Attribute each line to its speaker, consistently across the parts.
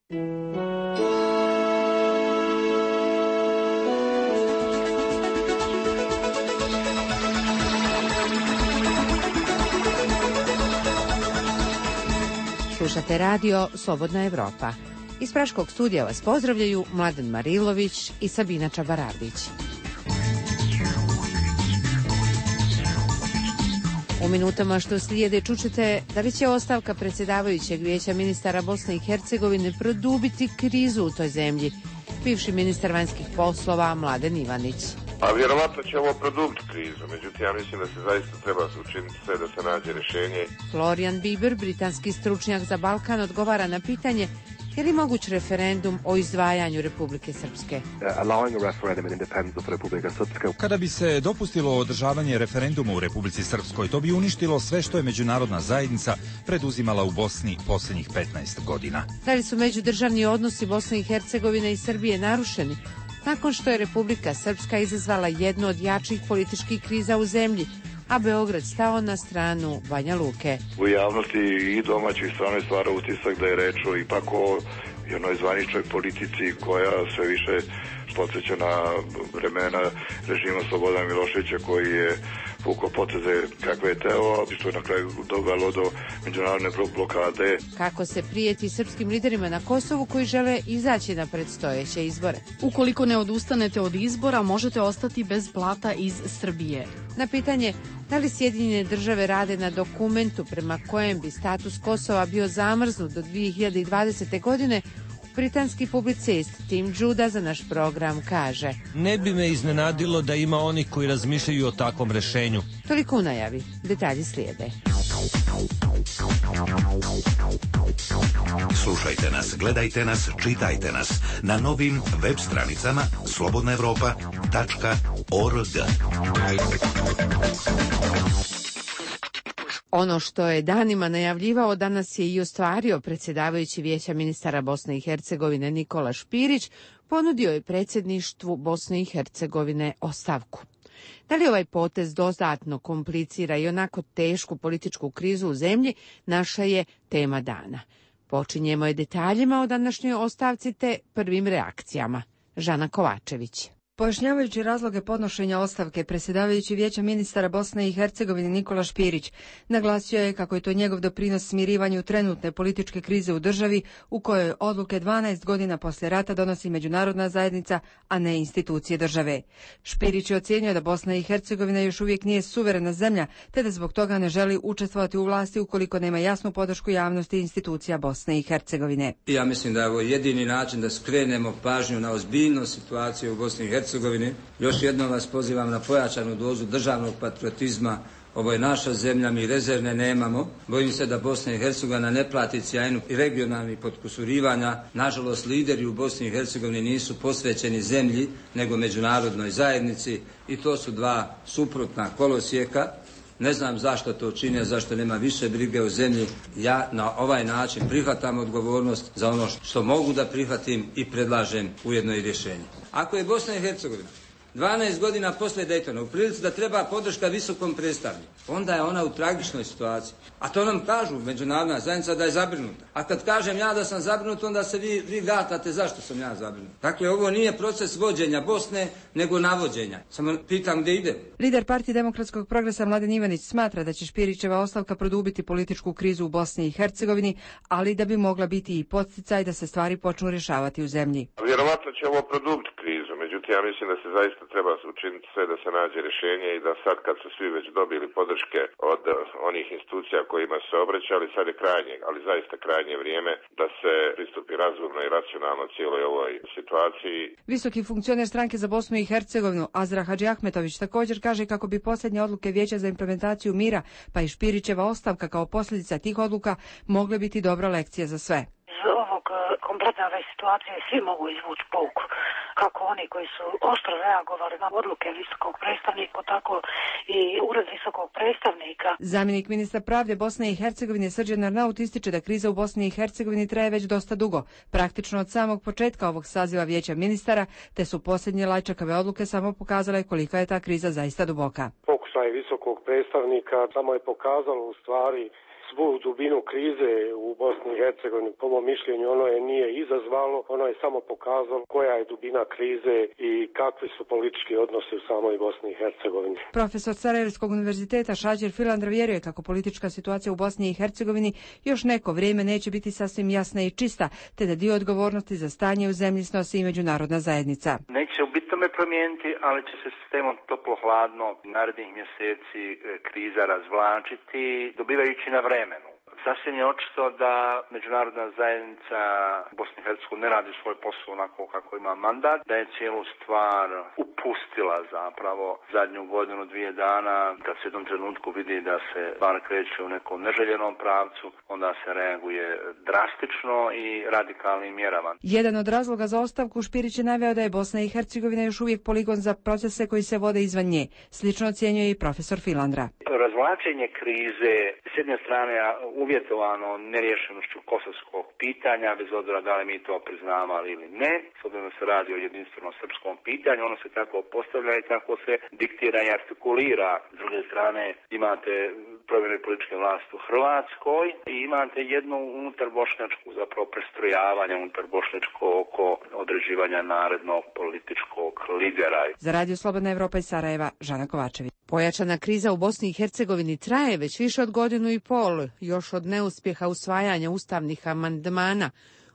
Speaker 1: Slušate radio Slobodna Evropa. Iz Praškog studija vas pozdravljaju Mladen Marilović i Sabina Čabarardić. U minutama što slijede čućete da li će ostavka predsjedavajućeg vijeća ministara Bosne i Hercegovine produbiti krizu u toj zemlji. Bivši ministar vanjskih poslova Mladen Ivanić.
Speaker 2: A vjerovatno će ovo produbiti krizu, međutim ja mislim da se zaista treba učiniti sve da se nađe rješenje.
Speaker 1: Florian Bieber, britanski stručnjak za Balkan, odgovara na pitanje je li moguć referendum o izdvajanju Republike Srpske.
Speaker 3: Kada bi se dopustilo održavanje referenduma u Republici Srpskoj, to bi uništilo sve što je međunarodna zajednica preduzimala u Bosni posljednjih 15 godina.
Speaker 1: Da li su međudržavni odnosi Bosne i Hercegovine i Srbije narušeni nakon što je Republika Srpska izazvala jednu od jačih političkih kriza u zemlji, a Beograd stao na stranu Banja Luke?
Speaker 2: U javnosti i domaćih strane stvara utisak da je reč o ipak o jednoj zvaničnoj politici koja sve više podsjeća na vremena režima Slobodana Miloševića koji je vukao poteze kakve je teo, što je na kraju dovelo do međunarodne blokade.
Speaker 1: Kako se prijeti srpskim liderima na Kosovu koji žele izaći na predstojeće izbore?
Speaker 4: Ukoliko ne odustanete od izbora, možete ostati bez plata iz Srbije.
Speaker 1: Na pitanje da li Sjedinjene države rade na dokumentu prema kojem bi status Kosova bio zamrznut do 2020. godine, britanski publicist Tim Judah za naš program kaže:
Speaker 5: ne bi me iznenadilo da ima onih koji razmišljaju o takvom rešenju.
Speaker 1: Toliko u najavi, detalji slijede.
Speaker 6: Slušajte nas, gledajte nas, čitajte nas na novim web stranicama slobodnaevropa.org.
Speaker 1: Ono što je danima najavljivao, danas je i ostvario predsjedavajući vijeća ministara Bosne i Hercegovine Nikola Špirić, ponudio je predsjedništvu Bosne i Hercegovine ostavku. Da li ovaj potez dodatno komplicira i onako tešku političku krizu u zemlji, naša je tema dana. Počinjemo je detaljima o današnjoj ostavci te prvim reakcijama. Žana Kovačević.
Speaker 7: Pojašnjavajući razloge podnošenja ostavke, predsjedavajući vijeća ministara Bosne i Hercegovine Nikola Špirić naglasio je kako je to njegov doprinos smirivanju trenutne političke krize u državi u kojoj odluke 12 godina poslije rata donosi međunarodna zajednica, a ne institucije države. Špirić je ocijenio da Bosna i Hercegovina još uvijek nije suverena zemlja, te da zbog toga ne želi učestvovati u vlasti ukoliko nema jasnu podršku javnosti i institucija Bosne i Hercegovine.
Speaker 8: Ja mislim da je ovo jedini način da skrenemo pažnju na ozbiljnost situacije u Bosni i Hercegovini. Još jednom vas pozivam na pojačanu dozu državnog patriotizma. Ovo je naša zemlja, mi rezervne nemamo. Bojim se da Bosna i Hercegovina ne plati cijenu i regionalnih potkusurivanja. Nažalost, lideri u Bosni i Hercegovini nisu posvećeni zemlji, nego međunarodnoj zajednici i to su dva suprotna kolosijeka. Ne znam zašto to čine, zašto nema više brige o zemlji. Ja na ovaj način prihvatam odgovornost za ono što mogu da prihvatim i predlažem ujedno i rješenje. Ako je Bosna i Hercegovina 12 godina poslije Daytona u prilici da treba podrška visokom predstavniku, onda je ona u tragičnoj situaciji. A to nam kažu međunarodna zajednica da je zabrinuta. A kad kažem ja da sam zabrinut, onda se vi gatate zašto sam ja zabrinut. Dakle, ovo nije proces vođenja Bosne, nego navođenja. Samo pitam gdje ide.
Speaker 7: Lider Partije demokratskog progresa Mladen Ivanić smatra da će Špirićeva ostavka produbiti političku krizu u Bosni i Hercegovini, ali da bi mogla biti i podsticaj da se stvari počnu rješavati u zemlji.
Speaker 2: Vjerovatno će ovo produbiti krizu, međutim ja mislim da se zaista treba učiniti sve da se nađe rješenje i da sad kad su svi već dobili podrške od onih institucija kojima se obraćali, sad je krajnje, ali zaista krajnje vrijeme da se pristupi razumno i racionalno cijeloj ovoj situaciji.
Speaker 7: Visoki funkcioner stranke za Bosnu i Hercegovinu Azra Hadžiahmetović također kaže kako bi posljednje odluke Vijeća za implementaciju mira, pa i Špirićeva ostavka kao posljedica tih odluka, mogle biti dobra lekcija za sve.
Speaker 9: Iz ovog kompletne ove situacije svi mogu izvući pouku. Kako oni koji su oštro reagovali na odluke visokog predstavnika, tako i ured visokog predstavnika.
Speaker 7: Zamjenik ministra pravde Bosne i Hercegovine Srđan Arnaut ističe da kriza u Bosni i Hercegovini traje već dosta dugo, praktično od samog početka ovog saziva vijeća ministara, te su posljednje lajčakave odluke samo pokazale kolika je ta kriza zaista duboka.
Speaker 10: Pokušaj visokog predstavnika samo je pokazalo u stvari svu dubinu krize u Bosni i Hercegovini. Po mom mišljenju ono je nije izazvalo, ono je samo pokazalo koja je dubina krize i kakvi su politički odnosi u samoj Bosni i Hercegovini.
Speaker 7: Profesor Sarajevskog univerziteta Šađer Filandra vjeruje kako politička situacija u Bosni i Hercegovini još neko vrijeme neće biti sasvim jasna i čista, te da dio odgovornosti za stanje u zemlji snosi i međunarodna zajednica.
Speaker 11: Neće u bitome promijeniti, ali će se sistemom toplo-hladno narednih mjeseci kriza razvlačiti, dobivajući na vremenu. Sasvim je očito da međunarodna zajednica Bosne i Hercegovine ne radi svoj posao onako kako ima mandat, da je cijelu stvar upustila zapravo zadnju godinu, 2 dana, kad se u jednom trenutku vidi da se stvar kreće u nekom neželjenom pravcu, onda se reaguje drastično i radikalnim mjerama.
Speaker 7: Jedan od razloga za ostavku Špirić je naveo da je Bosna i Hercegovina još uvijek poligon za procese koji se vode izvan nje. Slično ocjenjuje i profesor Filandra.
Speaker 11: Razvlačenje krize s jedne strane uvjetovano neriješenošću kosovskog pitanja, bez obzira da li mi to priznavali ili ne, s obzirom da se radi o jedinstvenom srpskom pitanju, ono se tako postavlja i tako se diktira i artikulira. S druge strane imate promjene političke vlasti u Hrvatskoj i imate jednu unutar bošnjačku zapravo prestrojavanje unutar bošnjačko oko određivanja narednog političkog lidera.
Speaker 7: Za Radio Slobodna Evropa iz Sarajeva, Žana Kovačević.
Speaker 1: Pojačana kriza u Bosni i Hercegovini traje već više od 1,5 godina, još od neuspjeha usvajanja ustavnih amandmana.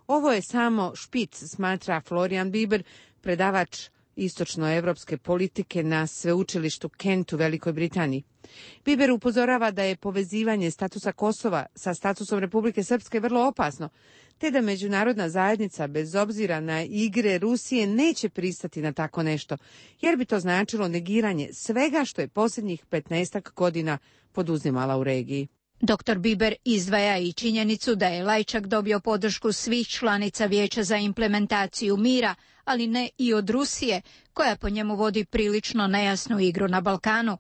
Speaker 1: Ovo je samo špic, smatra Florian Biber, predavač istočnoevropske politike na sveučilištu Kent u Velikoj Britaniji. Biber upozorava da je povezivanje statusa Kosova sa statusom Republike Srpske vrlo opasno, te da međunarodna zajednica, bez obzira na igre Rusije, neće pristati na tako nešto, jer bi to značilo negiranje svega što je posljednjih 15 godina poduzimala u regiji.
Speaker 12: Dr. Biber izdvaja i činjenicu da je Lajčak dobio podršku svih članica Vijeća za implementaciju mira, ali ne i od Rusije, koja po njemu vodi prilično nejasnu igru na Balkanu.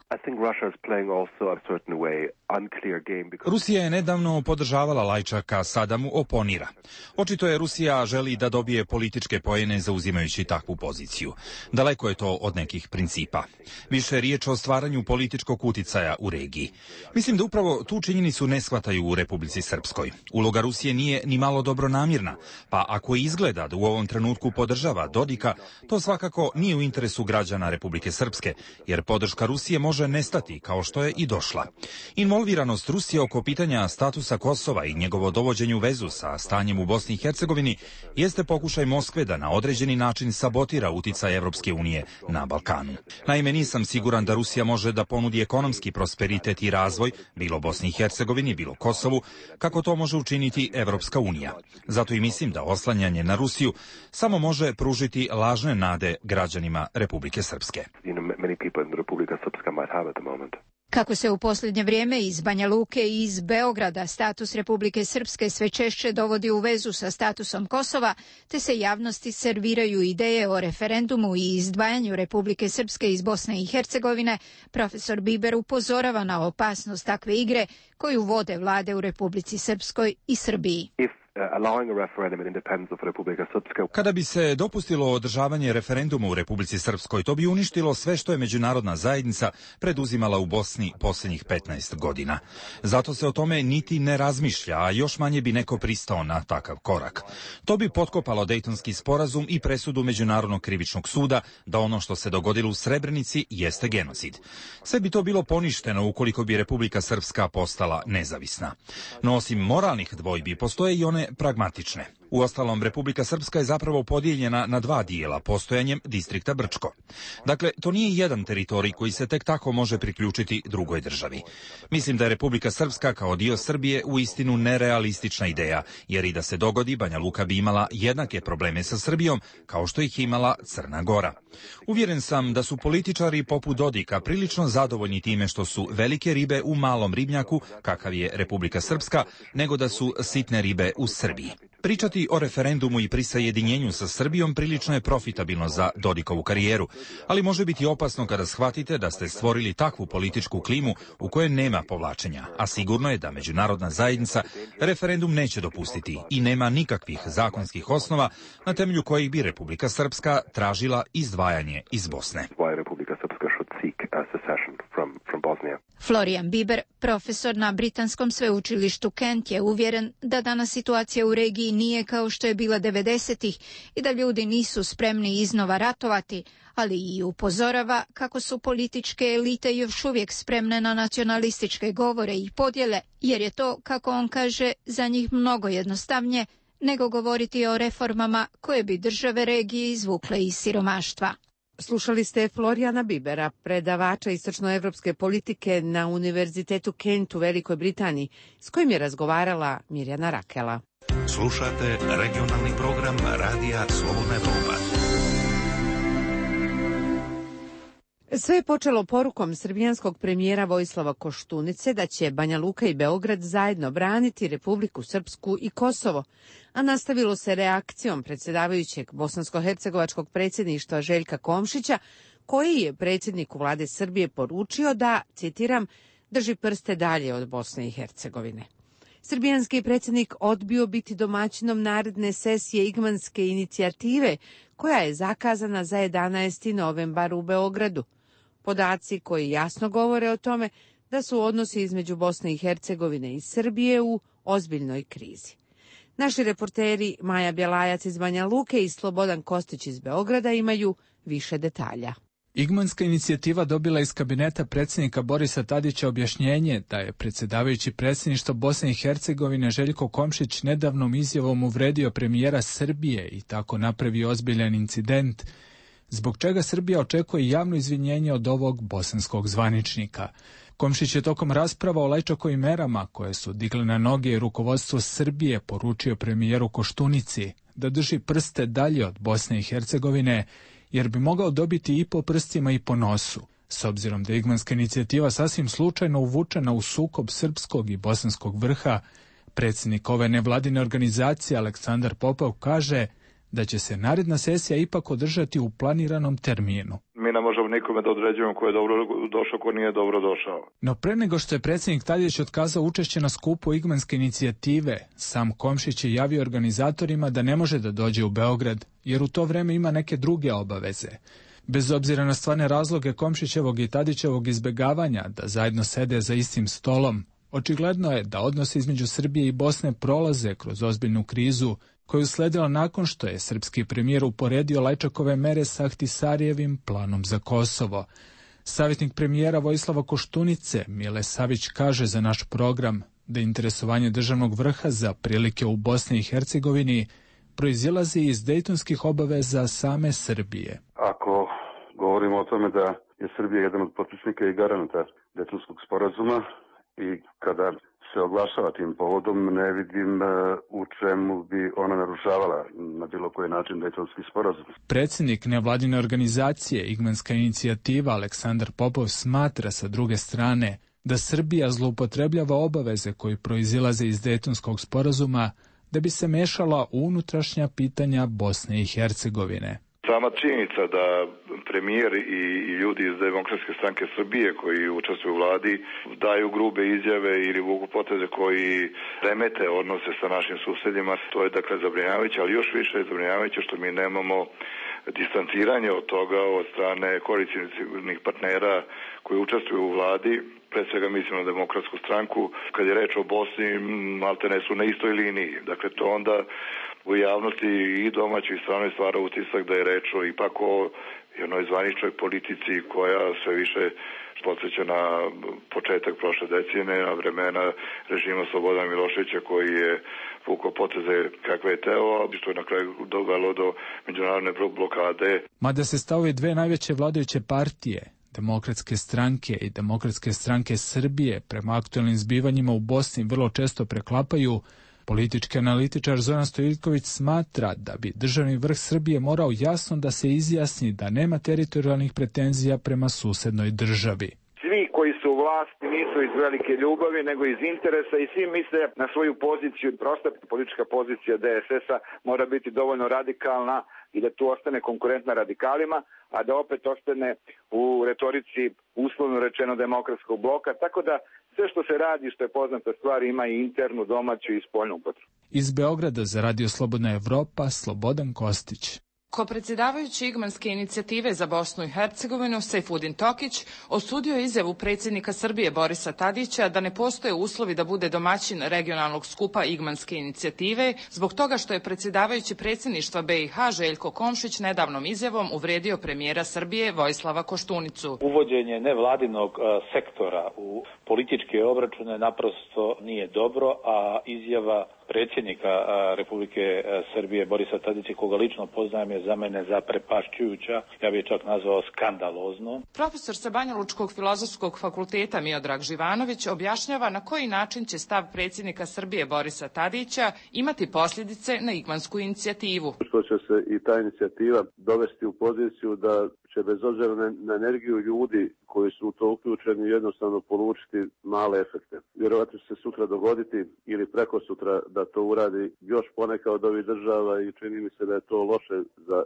Speaker 3: Rusija je nedavno podržavala Lajčaka, sada mu oponira. Očito je Rusija želi da dobije političke poene zauzimajući takvu poziciju. Daleko je to od nekih principa. Više je riječ o stvaranju političkog uticaja u regiji. Mislim da upravo tu činjenicu ne shvataju u Republici Srpskoj. Uloga Rusije nije ni malo dobronamjerna, pa ako izgleda da u ovom trenutku podržava Dodika, to svakako nije u interesu građana Republike Srpske, jer podrška Rusije može nestati kao što je i došla. Involviranost Rusije oko pitanja statusa Kosova i njegovo dovođenje u vezu sa stanjem u Bosni i Hercegovini jeste pokušaj Moskve da na određeni način sabotira uticaj Evropske unije na Balkanu. Naime, nisam siguran da Rusija može da ponudi ekonomski prosperitet i razvoj, bilo Bosni i Hercegovini, bilo Kosovu, kako to može učiniti Evropska unija. Zato i mislim da oslanjanje na Rusiju samo može pružiti lažne nade građanima Republike Srpske.
Speaker 12: Kako se u posljednje vrijeme iz Banja Luke i iz Beograda status Republike Srpske sve češće dovodi u vezu sa statusom Kosova, te se javnosti serviraju ideje o referendumu i izdvajanju Republike Srpske iz Bosne i Hercegovine, profesor Biber upozorava na opasnost takve igre koju vode vlade u Republici Srpskoj i Srbiji.
Speaker 3: Kada bi se dopustilo održavanje referenduma u Republici Srpskoj, to bi uništilo sve što je međunarodna zajednica preduzimala u Bosni posljednjih 15 godina. Zato se o tome niti ne razmišlja, a još manje bi neko pristao na takav korak. To bi potkopalo Dejtonski sporazum i presudu Međunarodnog krivičnog suda da ono što se dogodilo u Srebrenici jeste genocid. Sve bi to bilo poništeno ukoliko bi Republika Srpska postala nezavisna. No osim moralnih dvojbi, postoje i one pragmatične. Uostalom, Republika Srpska je zapravo podijeljena na 2 dijela postojanjem distrikta Brčko. Dakle, to nije jedan teritorij koji se tek tako može priključiti drugoj državi. Mislim da je Republika Srpska kao dio Srbije uistinu nerealistična ideja, jer i da se dogodi, Banja Luka bi imala jednake probleme sa Srbijom kao što ih imala Crna Gora. Uvjeren sam da su političari poput Dodika prilično zadovoljni time što su velike ribe u malom ribnjaku, kakav je Republika Srpska, nego da su sitne ribe u Srbiji. Pričati o referendumu i prisajedinjenju sa Srbijom prilično je profitabilno za Dodikovu karijeru, ali može biti opasno kada shvatite da ste stvorili takvu političku klimu u kojoj nema povlačenja, a sigurno je da međunarodna zajednica referendum neće dopustiti i nema nikakvih zakonskih osnova na temelju kojih bi Republika Srpska tražila izdvajanje iz Bosne.
Speaker 12: Florian Biber, profesor na britanskom sveučilištu Kent, je uvjeren da danas situacija u regiji nije kao što je bila 90-ih i da ljudi nisu spremni iznova ratovati, ali i upozorava kako su političke elite još uvijek spremne na nacionalističke govore i podjele, jer je to, kako on kaže, za njih mnogo jednostavnije nego govoriti o reformama koje bi države regije izvukle iz siromaštva.
Speaker 1: Slušali ste Floriana Bibera, predavača istočnoevropske politike na Univerzitetu Kent u Velikoj Britaniji, s kojim je razgovarala Mirjana Rakela.
Speaker 6: Slušate regionalni program Radija Slobodna Evropa.
Speaker 1: Sve je počelo porukom srbijanskog premijera Vojislava Koštunice da će Banja Luka i Beograd zajedno braniti Republiku Srpsku i Kosovo, a nastavilo se reakcijom predsjedavajućeg bosansko-hercegovačkog predsjedništva Željka Komšića, koji je predsjedniku vlade Srbije poručio da, citiram, drži prste dalje od Bosne i Hercegovine. Srbijanski predsjednik odbio biti domaćinom naredne sesije Igmanske inicijative, koja je zakazana za 11. novembar u Beogradu. Podaci koji jasno govore o tome da su odnosi između Bosne i Hercegovine i Srbije u ozbiljnoj krizi. Naši reporteri Maja Bjelajac iz Banja Luke i Slobodan Kostić iz Beograda imaju više detalja.
Speaker 13: Igmanska inicijativa dobila iz kabineta predsjednika Borisa Tadića objašnjenje da je predsjedavajući predsjedništva Bosne i Hercegovine Željko Komšić nedavnom izjavom uvredio premijera Srbije i tako napravio ozbiljan incident, zbog čega Srbija očekuje javno izvinjenje od ovog bosanskog zvaničnika. Komšić je tokom rasprava o Lajčakovim merama koje su digle na noge rukovodstvo Srbije poručio premijeru Koštunici da drži prste dalje od Bosne i Hercegovine, jer bi mogao dobiti i po prstima i po nosu. S obzirom da je Igmanska inicijativa sasvim slučajno uvučena u sukob srpskog i bosanskog vrha, predsjednik ove nevladine organizacije Aleksandar Popov kaže da će se naredna sesija ipak održati u planiranom terminu.
Speaker 2: Mi ne možemo nikome da određujemo ko je dobro došao, ko nije dobro došao.
Speaker 13: No pre nego što je predsjednik Tadić otkazao učešće na skupu Igmanske inicijative, sam Komšić je javio organizatorima da ne može da dođe u Beograd, jer u to vreme ima neke druge obaveze. Bez obzira na stvarne razloge Komšićevog i Tadićevog izbegavanja da zajedno sede za istim stolom, očigledno je da odnosi između Srbije i Bosne prolaze kroz ozbiljnu krizu, koju je usledila nakon što je srpski premijer uporedio Lajčakove mere sa Ahtisarijevim planom za Kosovo. Savjetnik premijera Vojislava Koštunice, Mile Savić, kaže za naš program da interesovanje državnog vrha za prilike u Bosni i Hercegovini proizilazi iz dejtonskih obaveza same Srbije.
Speaker 14: Ako govorimo o tome da je Srbija jedan od potpisnika i garanata Dejtonskog sporazuma i kada se oglašava tim povodom, ne vidim u čemu bi ona narušavala na bilo koji način Dejtonski sporazum.
Speaker 13: Predsjednik nevladine organizacije Igmanska inicijativa Aleksandar Popov smatra sa druge strane da Srbija zloupotrebljava obaveze koji proizilaze iz Dejtonskog sporazuma da bi se mešala u unutrašnja pitanja Bosne i Hercegovine.
Speaker 2: Sama činjenica da premijer i ljudi iz Demokratske stranke Srbije koji učestvuju u vladi daju grube izjave ili vuku poteze koji remete odnose sa našim susjedima, to je dakle zabrinjavajuće, ali još više je zabrinjavajuće što mi nemamo distanciranje od toga od strane koalicijskih partnera koji učestvuju u vladi. Pre svega mislim na Demokratsku stranku. Kad je reč o Bosni, maltene su na istoj liniji. Dakle, to onda u javnosti i domaćoj i stranoj stvara utisak da je reč o ipak o jednoj zvaničnoj politici koja sve više podsjeća na početak prošle decenije, na vremena režima Slobodana Miloševića koji je vukao poteze kakve je teo, što je na kraju dovelo do međunarodne blokade.
Speaker 13: Mada se stavovi dve najveće vladajuće partije, Demokratske stranke i Demokratske stranke Srbije, prema aktualnim zbivanjima u Bosni vrlo često preklapaju, politički analitičar Zoran Stojiljković smatra da bi državni vrh Srbije morao jasno da se izjasni da nema teritorijalnih pretenzija prema susednoj državi.
Speaker 15: Svi koji su u vlasti nisu iz velike ljubavi, nego iz interesa i svi misle na svoju poziciju. Prosta politička pozicija DSS-a mora biti dovoljno radikalna i da tu ostane konkurentna radikalima, a da opet ostane u retorici uslovno rečeno demokratskog bloka, tako da sve što se radi, što je poznata stvar, ima i internu, domaću i spoljnu upotrebu.
Speaker 13: Iz Beograda za Radio Slobodna Evropa, Slobodan Kostić.
Speaker 16: Ko-predsjedavajući Igmanske inicijative za Bosnu i Hercegovinu, Sejfudin Tokić, osudio je izjavu predsjednika Srbije Borisa Tadića da ne postoje uslovi da bude domaćin regionalnog skupa Igmanske inicijative, zbog toga što je predsjedavajući predsjedništva BiH Željko Komšić nedavnom izjavom uvrijedio premijera Srbije Vojislava Koštunicu.
Speaker 17: Uvođenje nevladinog sektora u političke obračune naprosto nije dobro, a izjava predsjednika Republike Srbije Borisa Tadića, koga lično poznajem, je za mene zaprepašćujuća, ja bih čak nazvao skandalozno.
Speaker 16: Profesor sa Banjalučkog filozofskog fakulteta Miodrag Živanović objašnjava na koji način će stav predsjednika Srbije Borisa Tadića imati posljedice na Igmansku inicijativu.
Speaker 18: Što će se i ta inicijativa dovesti u poziciju da će bez obzira na energiju ljudi koji su u to uključeni jednostavno polučiti male efekte. Vjerovatno će se sutra dogoditi ili preko sutra da to uradi još poneka od ovih država i čini mi se da je to loše za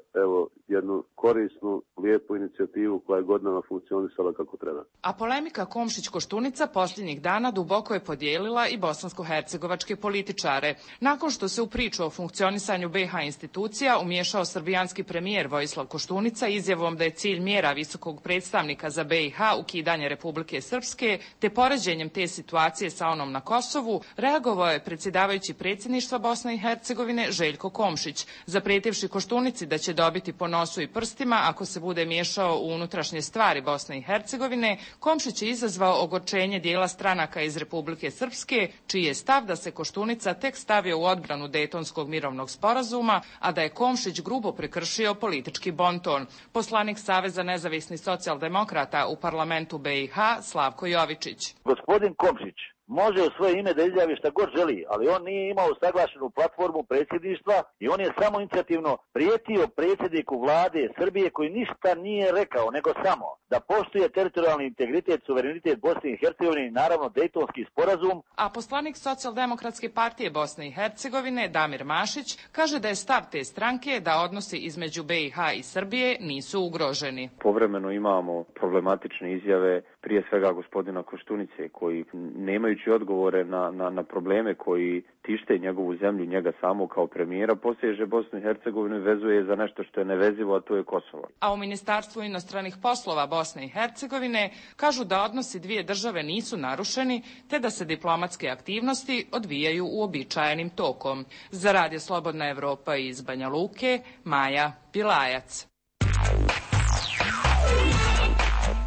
Speaker 18: jednu korisnu, lijepu inicijativu koja je godinama funkcionisala kako treba.
Speaker 16: A polemika Komšić-Koštunica posljednjih dana duboko je podijelila i bosansko-hercegovačke političare. Nakon što se u priču o funkcionisanju BiH institucija umiješao srbijanski premijer Vojislav Koštunica izjavom da je cilj mjera visokog predstavnika za BiH ukidanje Republike Srpske, te poređenjem te situacije sa onom na Kosovu, reagovao je predsjedavajući predsjedništva Bosne i Hercegovine Željko Komšić, zaprijetivši Koštunici da će dobiti po nosu i prstima ako se bude miješao u unutrašnje stvari Bosne i Hercegovine. Komšić je izazvao ogorčenje dijela stranaka iz Republike Srpske, čiji je stav da se Koštunica tek stavio u odbranu Dejtonskog mirovnog sporazuma, a da je Komšić grubo prekršio politički bonton. Poslanik Saveza nezavisnih socijaldemokrata u parlamentu BiH Slavko Jovičić.
Speaker 19: Gospodin Komšić može u svoje ime da izjavi šta god želi, ali on nije imao saglašenu platformu predsjedništva i on je samo inicijativno prijetio predsjedniku vlade Srbije koji ništa nije rekao, nego samo da poštuje teritorijalni integritet, suverenitet Bosne i Hercegovine i naravno Dejtonski sporazum.
Speaker 16: A poslanik Socijaldemokratske partije Bosne i Hercegovine Damir Mašić kaže da je stav te stranke da odnosi između BiH i Srbije nisu ugroženi.
Speaker 20: Povremeno imamo problematične izjave, prije svega gospodina Koštunice, koji nemajući odgovore na probleme koji tište njegovu zemlju, njega samo kao premijera, poseže Bosnu i Hercegovinu i vezuje za nešto što je nevezivo, a to je Kosovo.
Speaker 16: A u Ministarstvu inostranih poslova Bosne i Hercegovine kažu da odnosi dvije države nisu narušeni, te da se diplomatske aktivnosti odvijaju uobičajenim tokom. Za Radio Slobodna Evropa iz Banja Luke, Maja Pilajac.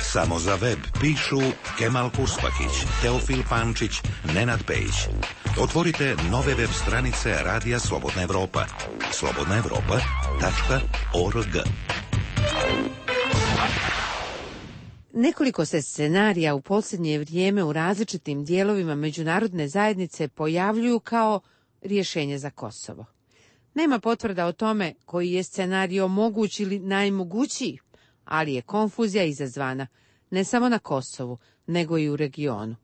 Speaker 6: Samo za web pišu Kemal Kurspakić, Teofil Pančić, Nenad Pejić. Otvorite nove web stranice Radija Slobodna Evropa. slobodnaevropa.org.
Speaker 1: Nekoliko se scenarija u posljednje vrijeme u različitim dijelovima međunarodne zajednice pojavljuju kao rješenje za Kosovo. Nema potvrda o tome koji je scenario moguć ili najmogućiji, ali je konfuzija izazvana ne samo na Kosovu, nego i u regionu.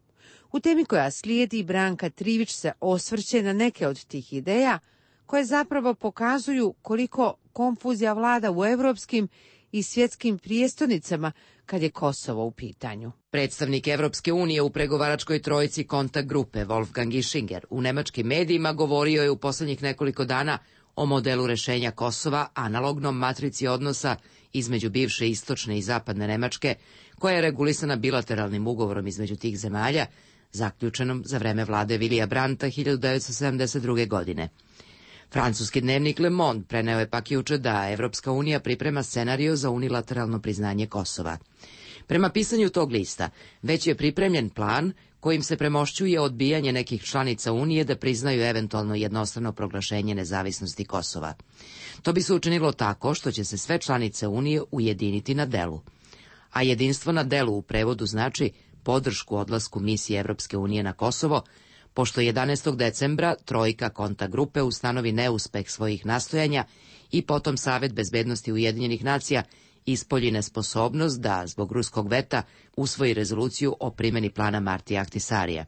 Speaker 1: U temi koja slijedi Branka Trivić se osvrće na neke od tih ideja koje zapravo pokazuju koliko konfuzija vlada u europskim i svjetskim prijestolnicama kad je Kosovo u pitanju.
Speaker 21: Predstavnik Evropske unije u pregovaračkoj trojici kontakt grupe Wolfgang Ischinger u nemačkim medijima govorio je u posljednjih nekoliko dana o modelu rješenja Kosova, analognom matrici odnosa između bivše istočne i zapadne Nemačke, koja je regulisana bilateralnim ugovorom između tih zemalja, zaključenom za vreme vlade Vilija Brandta 1972. godine. Francuski dnevnik Le Monde preneo je pak juče da Evropska unija priprema scenario za unilateralno priznanje Kosova. Prema pisanju tog lista, već je pripremljen plan kojim se premošćuje odbijanje nekih članica Unije da priznaju eventualno jednostrano proglašenje nezavisnosti Kosova. To bi se učinilo tako što će se sve članice Unije ujediniti na delu. A jedinstvo na delu u prevodu znači podršku odlasku misije Evropske unije na Kosovo, pošto 11. decembra trojka kontakt grupe ustanovi neuspeh svojih nastojanja i potom Savet bezbednosti Ujedinjenih nacija ispolji nesposobnost da, zbog ruskog veta, usvoji rezoluciju o primjeni plana Martija Ahtisarija.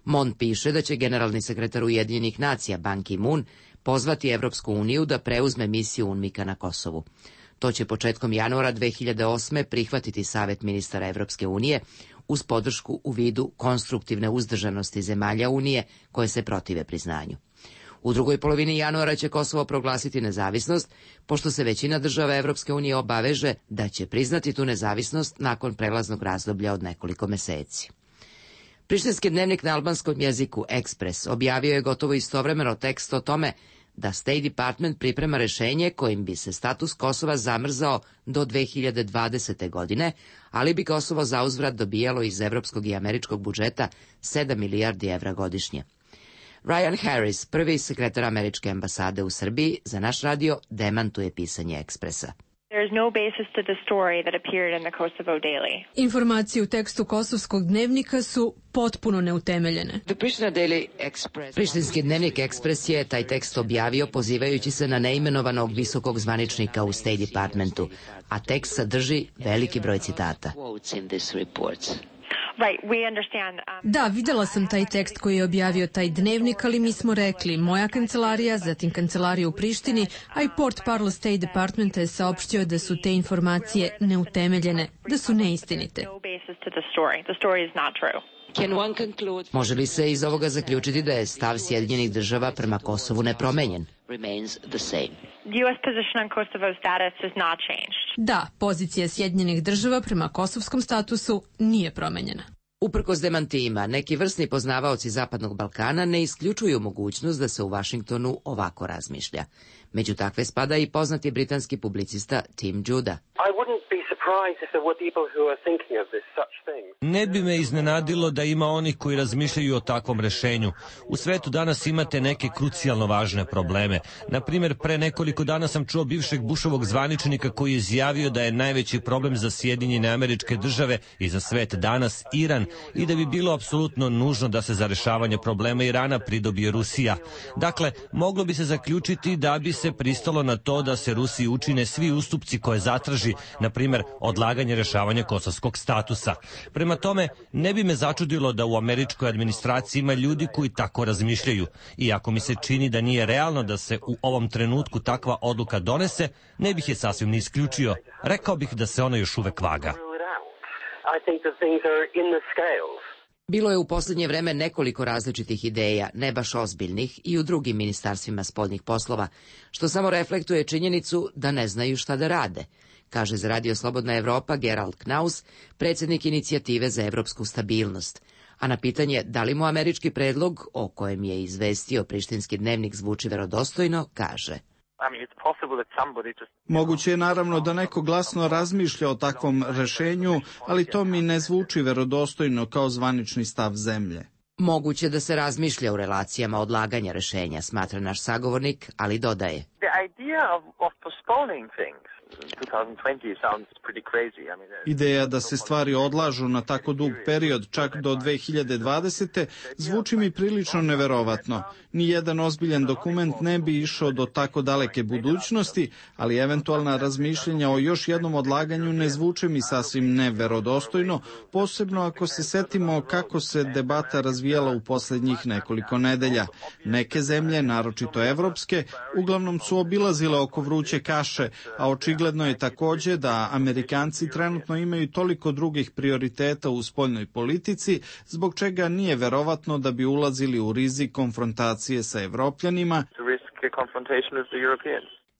Speaker 21: Mond piše da će generalni sekretar Ujedinjenih nacija Ban Ki-moon pozvati Evropsku uniju da preuzme misiju UNMIK-a na Kosovu. To će početkom januara 2008. prihvatiti Savet ministara Evropske unije uz podršku u vidu konstruktivne uzdržanosti zemalja Unije koje se protive priznanju. U drugoj polovini januara će Kosovo proglasiti nezavisnost, pošto se većina država Evropske unije obaveže da će priznati tu nezavisnost nakon prelaznog razdoblja od nekoliko meseci. Prištinski dnevnik na albanskom jeziku Ekspres objavio je gotovo istovremeno tekst o tome da State Department priprema rešenje kojim bi se status Kosova zamrzao do 2020. godine, ali bi Kosovo zauzvrat dobijalo iz evropskog i američkog budžeta 7 milijardi evra godišnje. Ryan Harris, prvi sekretar američke ambasade u Srbiji, za naš radio demantuje pisanje Ekspresa.
Speaker 4: Informacije u tekstu kosovskog dnevnika su potpuno neutemeljene.
Speaker 21: Prištinski dnevnik Ekspres je taj tekst objavio pozivajući se na neimenovanog visokog zvaničnika u State Departmentu, a tekst sadrži veliki broj citata.
Speaker 4: Da, videla sam taj tekst koji je objavio taj dnevnik, ali mi smo rekli, moja kancelarija, zatim kancelarija u Prištini, a i portparol State Departmenta je saopštio da su te informacije neutemeljene, da su neistinite.
Speaker 21: Može li se iz ovoga zaključiti da je stav Sjedinjenih država prema Kosovu nepromenjen?
Speaker 4: Da, pozicija Sjedinjenih država prema kosovskom statusu nije promenjena.
Speaker 21: Uprkos demantijima, neki vrsni poznavaoci Zapadnog Balkana ne isključuju mogućnost da se u Vašingtonu ovako razmišlja. Među takve spada i poznati britanski publicista Tim Judah.
Speaker 5: Ne bi me iznenadilo da ima onih koji razmišljaju o takvom rešenju. U svetu danas imate neke krucijalno važne probleme. Na primjer, pre nekoliko dana sam čuo bivšeg Bushovog zvaničnika koji je izjavio da je najveći problem za Sjedinjene Američke Države i za svet danas Iran i da bi bilo apsolutno nužno da se za rešavanje problema Irana pridobije Rusija. Dakle, moglo bi se zaključiti da bi se pristalo na to da se Rusiji učine svi ustupci koje zatraži, na primjer, odlaganje rešavanja kosovskog statusa. Prema tome, ne bi me začudilo da u američkoj administraciji ima ljudi koji tako razmišljaju. Iako mi se čini da nije realno da se u ovom trenutku takva odluka donese, ne bih je sasvim ni isključio. Rekao bih da se ona još uvek vaga.
Speaker 21: Bilo je u posljednje vreme nekoliko različitih ideja, ne baš ozbiljnih, i u drugim ministarstvima spoljnih poslova, što samo reflektuje činjenicu da ne znaju šta da rade, kaže za Radio Slobodna Evropa Gerald Knaus, predsjednik inicijative za evropsku stabilnost. A na pitanje da li mu američki predlog, o kojem je izvestio Prištinski dnevnik, zvuči verodostojno, kaže:
Speaker 22: Moguće je naravno da neko glasno razmišlja o takvom rešenju, ali to mi ne zvuči verodostojno kao zvanični stav zemlje.
Speaker 21: Moguće da se razmišlja u relacijama odlaganja rešenja, smatra naš sagovornik, ali dodaje:
Speaker 22: Ideja da se stvari odlažu na tako dug period, čak do 2020. zvuči mi prilično neverovatno. Nijedan ozbiljan dokument ne bi išao do tako daleke budućnosti, ali eventualna razmišljenja o još jednom odlaganju ne zvuče mi sasvim neverodostojno, posebno ako se setimo kako se debata razvijala u posljednjih nekoliko nedelja. Neke zemlje, naročito evropske, uglavnom su obilazile oko vruće kaše, a očigledno je takođe da Amerikanci trenutno imaju toliko drugih prioriteta u spoljnoj politici, zbog čega nije verovatno da bi ulazili u rizik konfrontacije sa Evropljanima,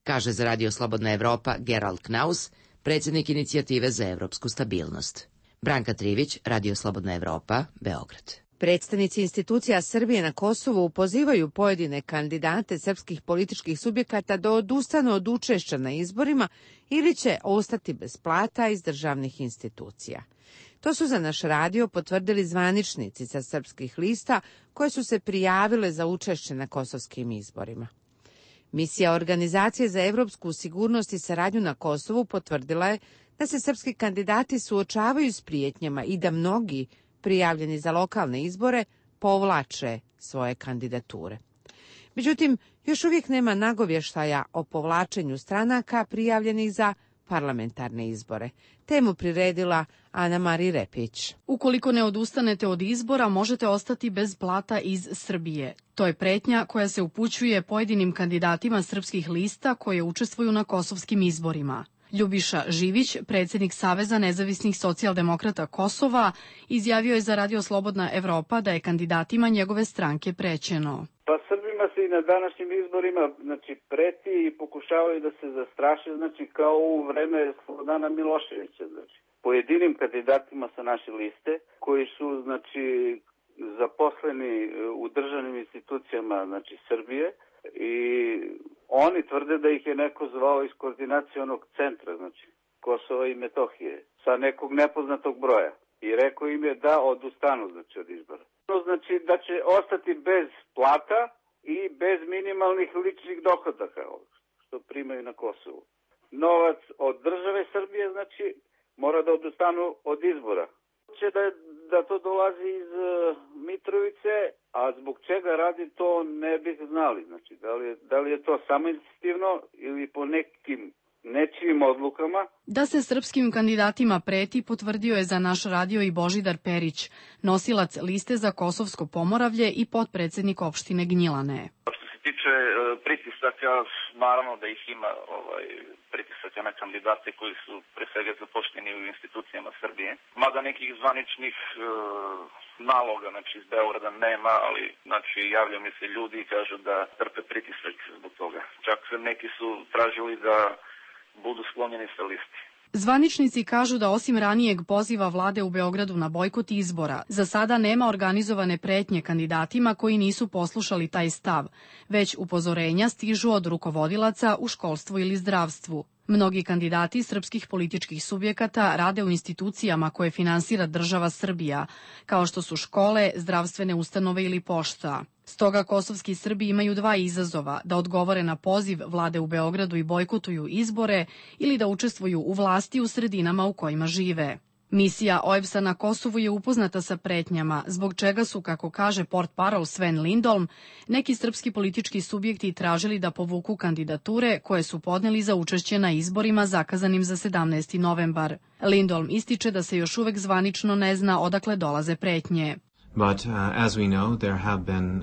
Speaker 21: kaže za Radio Slobodna Evropa Gerald Knaus, predsjednik inicijative za evropsku stabilnost. Branka Trivić, Radio Slobodna Evropa, Beograd.
Speaker 1: Predstavnici institucija Srbije na Kosovu pozivaju pojedine kandidate srpskih političkih subjekata da odustanu od učešća na izborima ili će ostati bez plata iz državnih institucija. To su za naš radio potvrdili zvaničnici sa srpskih lista koje su se prijavile za učešće na kosovskim izborima. Misija Organizacije za evropsku sigurnost i saradnju na Kosovu potvrdila je da se srpski kandidati suočavaju s prijetnjama i da mnogi prijavljeni za lokalne izbore povlače svoje kandidature. Međutim, još uvijek nema nagovještaja o povlačenju stranaka prijavljenih za parlamentarne izbore. Temu priredila Ana Mari Repić.
Speaker 23: Ukoliko ne odustanete od izbora, možete ostati bez plata iz Srbije. To je pretnja koja se upućuje pojedinim kandidatima srpskih lista koje učestvuju na kosovskim izborima. Ljubiša Živić, predsjednik Saveza nezavisnih socijaldemokrata Kosova, izjavio je za Radio Slobodna Evropa da je kandidatima njegove stranke prećeno.
Speaker 24: Pa Srbima se
Speaker 8: i na današnjim izborima, znači preti i pokušavaju da se zastraše, znači kao u vreme Slobodana Miloševića, znači pojedinim kandidatima sa naše liste koji su znači zaposleni u državnim institucijama znači Srbije i oni tvrde da ih je neko zvao iz koordinacionog centra, znači Kosova i Metohije, sa nekog nepoznatog broja i rekao im je da odustanu znači od izbora. Znači da će ostati bez plata i bez minimalnih ličnih dohodaka što primaju na Kosovu. Novac od države Srbije znači mora da odustanu od izbora. Će da to dolazi iz Mitrovice, a zbog čega radi to ne bih znali. Znači da li je to samoinicijativno ili po nekim nečijim odlukama.
Speaker 23: Da se srpskim kandidatima preti potvrdio je za naš radio i Božidar Perić, nosilac liste za Kosovsko Pomoravlje i potpredsednik opštine Gnjilane.
Speaker 9: Što se tiče pritisaka, naravno da ih ima pritisaka na kandidate koji su pre svega zapošteni u institucijama Srbije. Mada nekih zvaničnih naloga znači iz Beograda nema, ali znači javljaju mi se ljudi i kažu da trpe pritisak zbog toga. Čak neki su tražili da budu sklonjeni sa listi.
Speaker 23: Zvaničnici kažu da osim ranijeg poziva vlade u Beogradu na bojkot izbora, za sada nema organizovane pretnje kandidatima koji nisu poslušali taj stav, već upozorenja stižu od rukovodilaca u školstvu ili zdravstvu. Mnogi kandidati srpskih političkih subjekata rade u institucijama koje finansira država Srbija, kao što su škole, zdravstvene ustanove ili pošta. Stoga kosovski Srbi imaju dva izazova, da odgovore na poziv vlade u Beogradu i bojkotuju izbore ili da učestvuju u vlasti u sredinama u kojima žive. Misija OEBS-a na Kosovu je upoznata sa pretnjama, zbog čega su, kako kaže portparol Sven Lindholm, neki srpski politički subjekti tražili da povuku kandidature koje su podneli za učešće na izborima zakazanim za 17. novembar. Lindholm ističe da se još uvek zvanično ne zna odakle dolaze pretnje.
Speaker 10: But as we know, there have been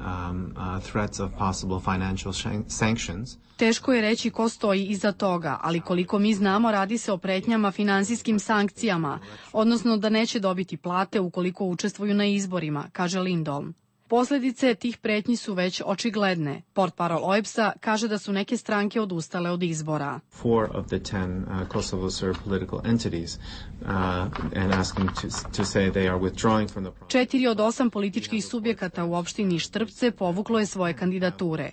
Speaker 10: threats of possible financial sanctions.
Speaker 23: Teško je reći ko stoji iza toga, ali koliko mi znamo radi se o pretnjama finansijskim sankcijama, odnosno da neće dobiti plate ukoliko učestvuju na izborima, kaže Lindholm. Posljedice tih pretnji su već očigledne. Portparol OEBS-a kaže da su neke stranke odustale od izbora.
Speaker 10: 4 of the 10 Kosovo Serb political entities and asking to say they are withdrawing from the process.
Speaker 23: 4 od 8 političkih subjekata u opštini Štrpce povuklo je svoje kandidature.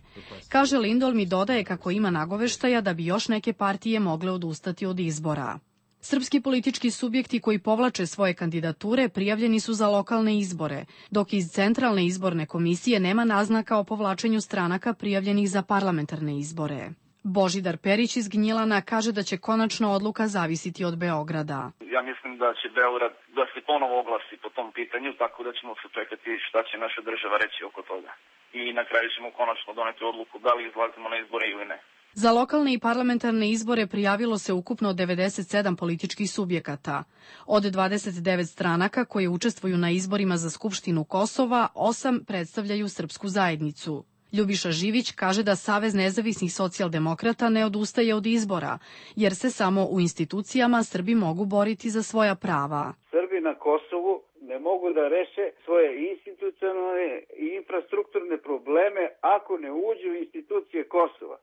Speaker 23: Kaže Lindholm i dodaje kako ima nagoveštaja da bi još neke partije mogle odustati od izbora. Srpski politički subjekti koji povlače svoje kandidature prijavljeni su za lokalne izbore, dok iz Centralne izborne komisije nema naznaka o povlačenju stranaka prijavljenih za parlamentarne izbore. Božidar Perić iz Gnjilana kaže da će konačna odluka zavisiti od Beograda.
Speaker 9: Ja mislim da će Beograd da se ponovo oglasi po tom pitanju, tako da ćemo se čekati šta će naša država reći oko toga. I na kraju ćemo konačno doneti odluku da li izlazimo na izbore ili ne.
Speaker 23: Za lokalne i parlamentarne izbore prijavilo se ukupno 97 političkih subjekata. Od 29 stranaka koje učestvuju na izborima za Skupštinu Kosova, 8 predstavljaju srpsku zajednicu. Ljubiša Živić kaže da Savez nezavisnih socijaldemokrata ne odustaje od izbora, jer se samo u institucijama Srbi mogu boriti za svoja prava.
Speaker 8: Srbi na Kosovu ne mogu da reše svoje institucionalne i infrastrukturne probleme ako ne uđu u institucije Kosova.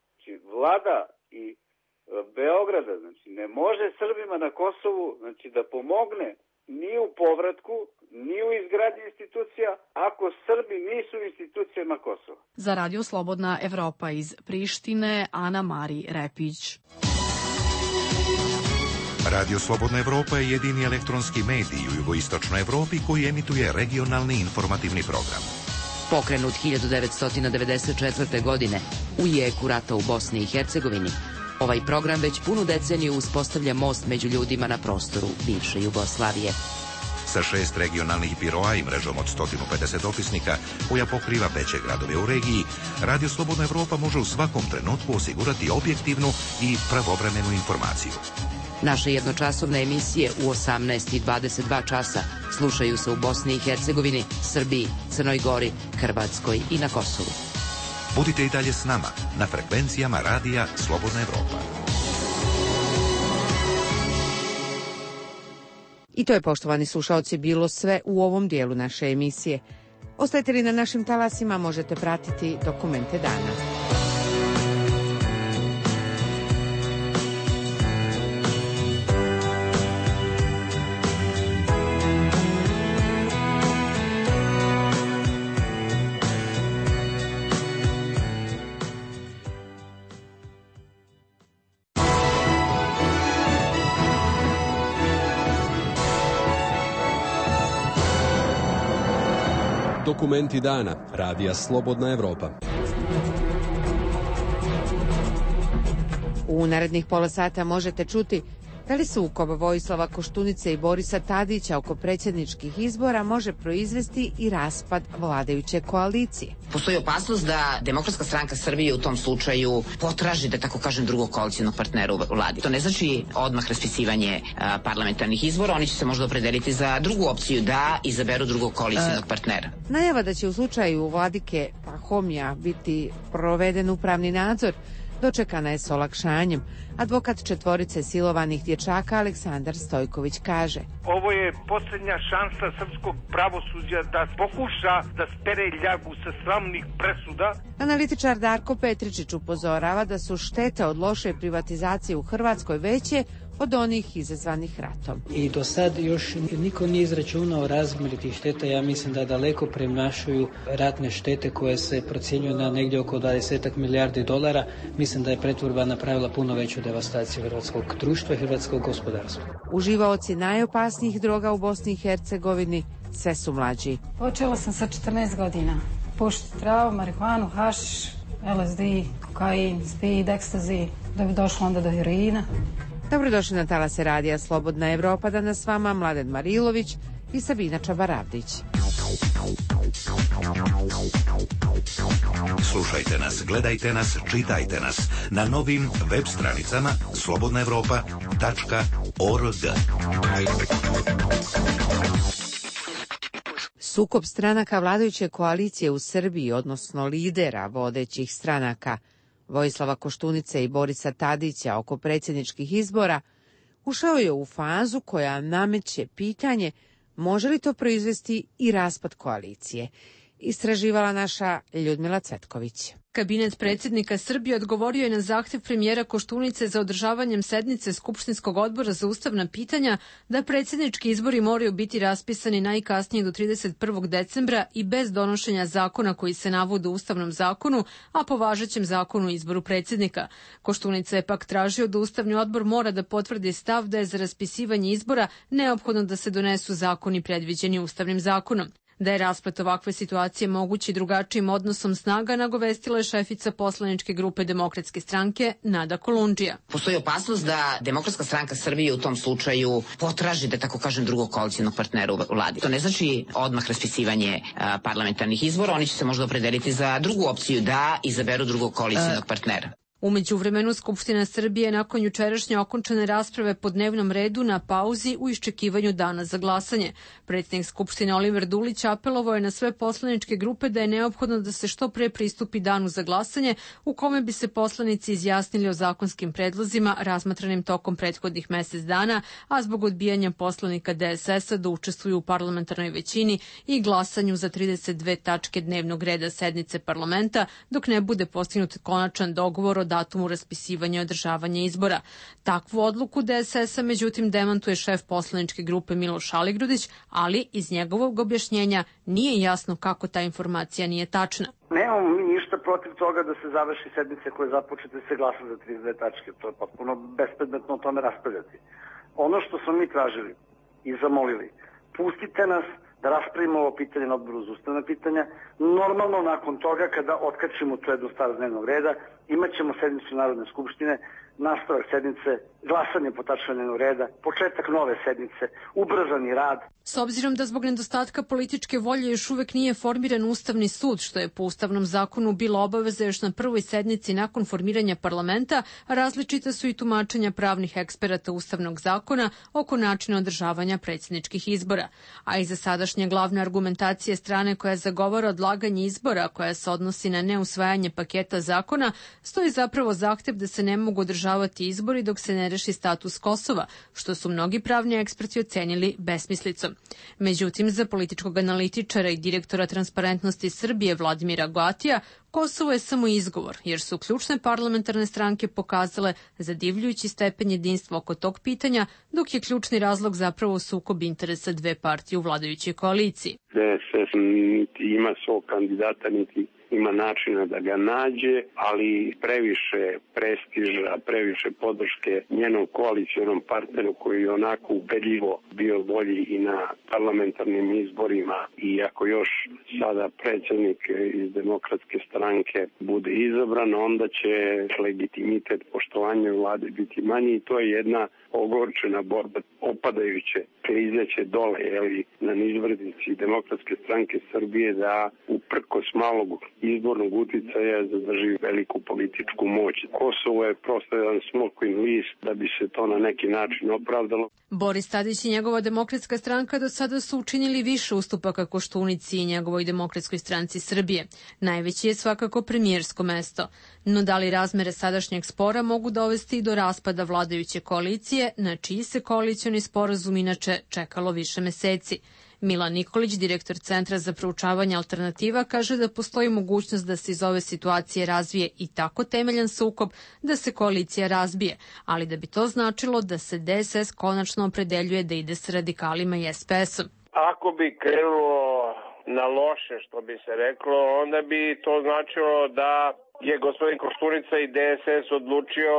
Speaker 8: Vlada i Beograda znači, ne može Srbima na Kosovu znači, da pomogne ni u povratku, ni u izgradnji institucija, ako Srbi nisu u institucijama Kosova.
Speaker 23: Za Radio Slobodna Evropa iz Prištine, Ana Mari Repić.
Speaker 6: Radio Slobodna Evropa je jedini elektronski medij u jugoistočnoj Evropi koji emituje regionalni informativni program.
Speaker 21: Pokrenut 1994. godine u jeku rata u Bosni i Hercegovini, ovaj program već punu deceniju uspostavlja most među ljudima na prostoru bivše Jugoslavije.
Speaker 6: Sa 6 regionalnih biroa i mrežom od 150 opisnika koja pokriva veće gradove u regiji, Radio Slobodna Evropa može u svakom trenutku osigurati objektivnu i pravovremenu informaciju.
Speaker 21: Naše jednočasovne emisije u 18:22 časa slušaju se u Bosni i Hercegovini, Srbiji, Crnoj Gori, Hrvatskoj i na Kosovu.
Speaker 6: Budite i dalje s nama na frekvencijama Radija Slobodna Evropa.
Speaker 1: I to je, poštovani slušaoci, bilo sve u ovom dijelu naše emisije. Ostajete li na našim talasima, možete pratiti dokumente dana.
Speaker 3: Dokumenti dana. Radija Slobodna Evropa.
Speaker 1: U narednih pola sata možete čuti da li sukob Vojislava Koštunice i Borisa Tadića oko predsjedničkih izbora može proizvesti i raspad vladajuće koalicije.
Speaker 7: Postoji opasnost da Demokratska stranka Srbije u tom slučaju potraži, da tako kažem, drugog koalicijnog partnera u vladi. To ne znači odmah raspisivanje parlamentarnih izbora, oni će se možda opredeliti za drugu opciju, da izaberu drugog koalicijnog partnera.
Speaker 1: Najava da će u slučaju vladike Pahomija biti proveden upravni nadzor dočekana je s olakšanjem. Advokat četvorice silovanih dječaka Aleksandar Stojković kaže:
Speaker 11: Ovo je posljednja šansa srpskog pravosuđa da pokuša da spere ljagu sa sramnih presuda.
Speaker 1: Analitičar Darko Petričić upozorava da su štete od loše privatizacije u Hrvatskoj veće od onih izazvanih ratom.
Speaker 24: I do sad još niko nije izračunao razmjer tih šteta. Ja mislim da daleko premašuju ratne štete koje se procjenjuju na negdje oko 20 milijardi dolara. Mislim da je pretvorba napravila puno veću devastaciju hrvatskog društva i hrvatskog gospodarstva.
Speaker 1: Uživaoci najopasnijih droga u Bosni i Hercegovini sve su mlađi.
Speaker 25: Počela sam sa 14 godina. Pušiti travu, marihuanu, hašiš, LSD, kokain, speed, ekstazi, da bi došlo onda do heroina.
Speaker 1: Dobrodošli na talase Radija Slobodna Evropa, danas s vama Mladen Marilović i Sabina Čabaravdić.
Speaker 6: Slušajte nas, gledajte nas, čitajte nas na novim web stranicama slobodnaevropa.org.
Speaker 1: Sukob stranaka vladajuće koalicije u Srbiji, odnosno lidera vodećih stranaka Vojislava Koštunice i Borisa Tadića oko predsjedničkih izbora, ušao je u fazu koja nameće pitanje može li to proizvesti i raspad koalicije. Istraživala naša Ljudmila Cvetković.
Speaker 4: Kabinet predsjednika Srbije odgovorio je na zahtjev premijera Koštunice za održavanjem sednice Skupštinskog odbora za ustavna pitanja da predsjednički izbori moraju biti raspisani najkasnije do 31. decembra i bez donošenja zakona koji se navode u Ustavnom zakonu, a po važećem zakonu o izboru predsjednika. Koštunica je pak tražio da Ustavni odbor mora da potvrdi stav da je za raspisivanje izbora neophodno da se donesu zakoni predviđeni Ustavnim zakonom. Da je rasplet ovakve situacije mogući drugačijim odnosom snaga, nagovestila je šefica poslaničke grupe Demokratske stranke Nada Kolundžija.
Speaker 7: Postoji opasnost da Demokratska stranka Srbije u tom slučaju potraži, da tako kažem, drugog koalicijnog partnera u vladi. To ne znači odmah raspisivanje parlamentarnih izbora, oni će se možda opredeliti za drugu opciju, da izaberu drugog koalicijnog partnera.
Speaker 4: U međuvremenu Skupština Srbije nakon jučerašnje okončane rasprave po dnevnom redu na pauzi u iščekivanju dana za glasanje. Predsjednik Skupštine Oliver Dulić apelovao je na sve poslaničke grupe da je neophodno da se što pre pristupi danu za glasanje u kome bi se poslanici izjasnili o zakonskim predlozima razmatranim tokom prethodnih mjesec dana, a zbog odbijanja poslanika DSS-a da učestvuju u parlamentarnoj većini i glasanju za 32 tačke dnevnog reda sednice parlamenta dok ne bude postignut konačan dogovor o datumu raspisivanja i održavanja izbora. Takvu odluku DSS-a međutim demantuje šef poslaničke grupe Miloš Aligrudić, ali iz njegovog objašnjenja nije jasno kako ta informacija nije tačna.
Speaker 26: Nemamo mi ništa protiv toga da se završi sednice koje započete se glasa za 32 tačke. To je potpuno bespredmetno o tome raspravljati. Ono što smo mi tražili i zamolili, pustite nas da raspravimo ovo pitanje na odboru za ustavna pitanja. Normalno nakon toga kada otkačimo tu jednu stvar dnevnog reda, imat ćemo sednicu Narodne skupštine, nastavak sednice, glasanje po tačkama dnevnog reda, početak nove sednice, ubrzani rad.
Speaker 4: S obzirom da zbog nedostatka političke volje još uvek nije formiran Ustavni sud, što je po Ustavnom zakonu bila obaveza još na prvoj sednici nakon formiranja parlamenta, različita su i tumačenja pravnih eksperata Ustavnog zakona oko načina održavanja predsjedničkih izbora. A iza sadašnje glavne argumentacije strane koja zagovara odlaganje izbora, koja se odnosi na neusvajanje paketa zakona, stoji zapravo zahtev da se ne mogu održavati izbori dok se ne reši status Kosova, što su mnogi pravni eksperti ocenili besmislicom. Međutim, za političkog analitičara i direktora Transparentnosti Srbije Vladimira Goatija, Kosovo je samo izgovor, jer su ključne parlamentarne stranke pokazale zadivljujući stepen jedinstva oko tog pitanja, dok je ključni razlog zapravo sukob interesa dve partije u vladajućoj koaliciji.
Speaker 2: DSS niti ima svog kandidata, niti ima načina da ga nađe, ali previše prestiža, previše podrške njenom koalicionom partneru koji je onako ubedljivo bio bolji i na parlamentarnim izborima, i ako još sada predsjednik iz Demokratske stranke bude izabran, onda će legitimitet poštovanja vlade biti manji, i to je jedna ogorčena borba, opadajuće, klizeće dole, na nizbrdici Demokratske stranke Srbije, da uprkos malog izbornog uticaja zadrži veliku političku moć. Kosovo je prosto jedan smokvin list da bi se to na neki način opravdalo.
Speaker 4: Boris Tadić i njegova Demokratska stranka do sada su učinili više ustupaka Koštunici i njegovoj Demokratskoj stranci Srbije. Najveći je svakako premijersko mesto. No da li razmere sadašnjeg spora mogu dovesti i do raspada vladajuće koalicije, na čiji se koalicioni sporazum inače čekalo više meseci? Milan Nikolić, direktor Centra za proučavanje alternativa, kaže da postoji mogućnost da se iz ove situacije razvije i tako temeljan sukob da se koalicija razbije, ali da bi to značilo da se DSS konačno opredeljuje da ide s radikalima i SPS-om.
Speaker 12: Ako bi krenulo na loše, što bi se reklo, onda bi to značilo da je gospodin Koštunica i DSS odlučio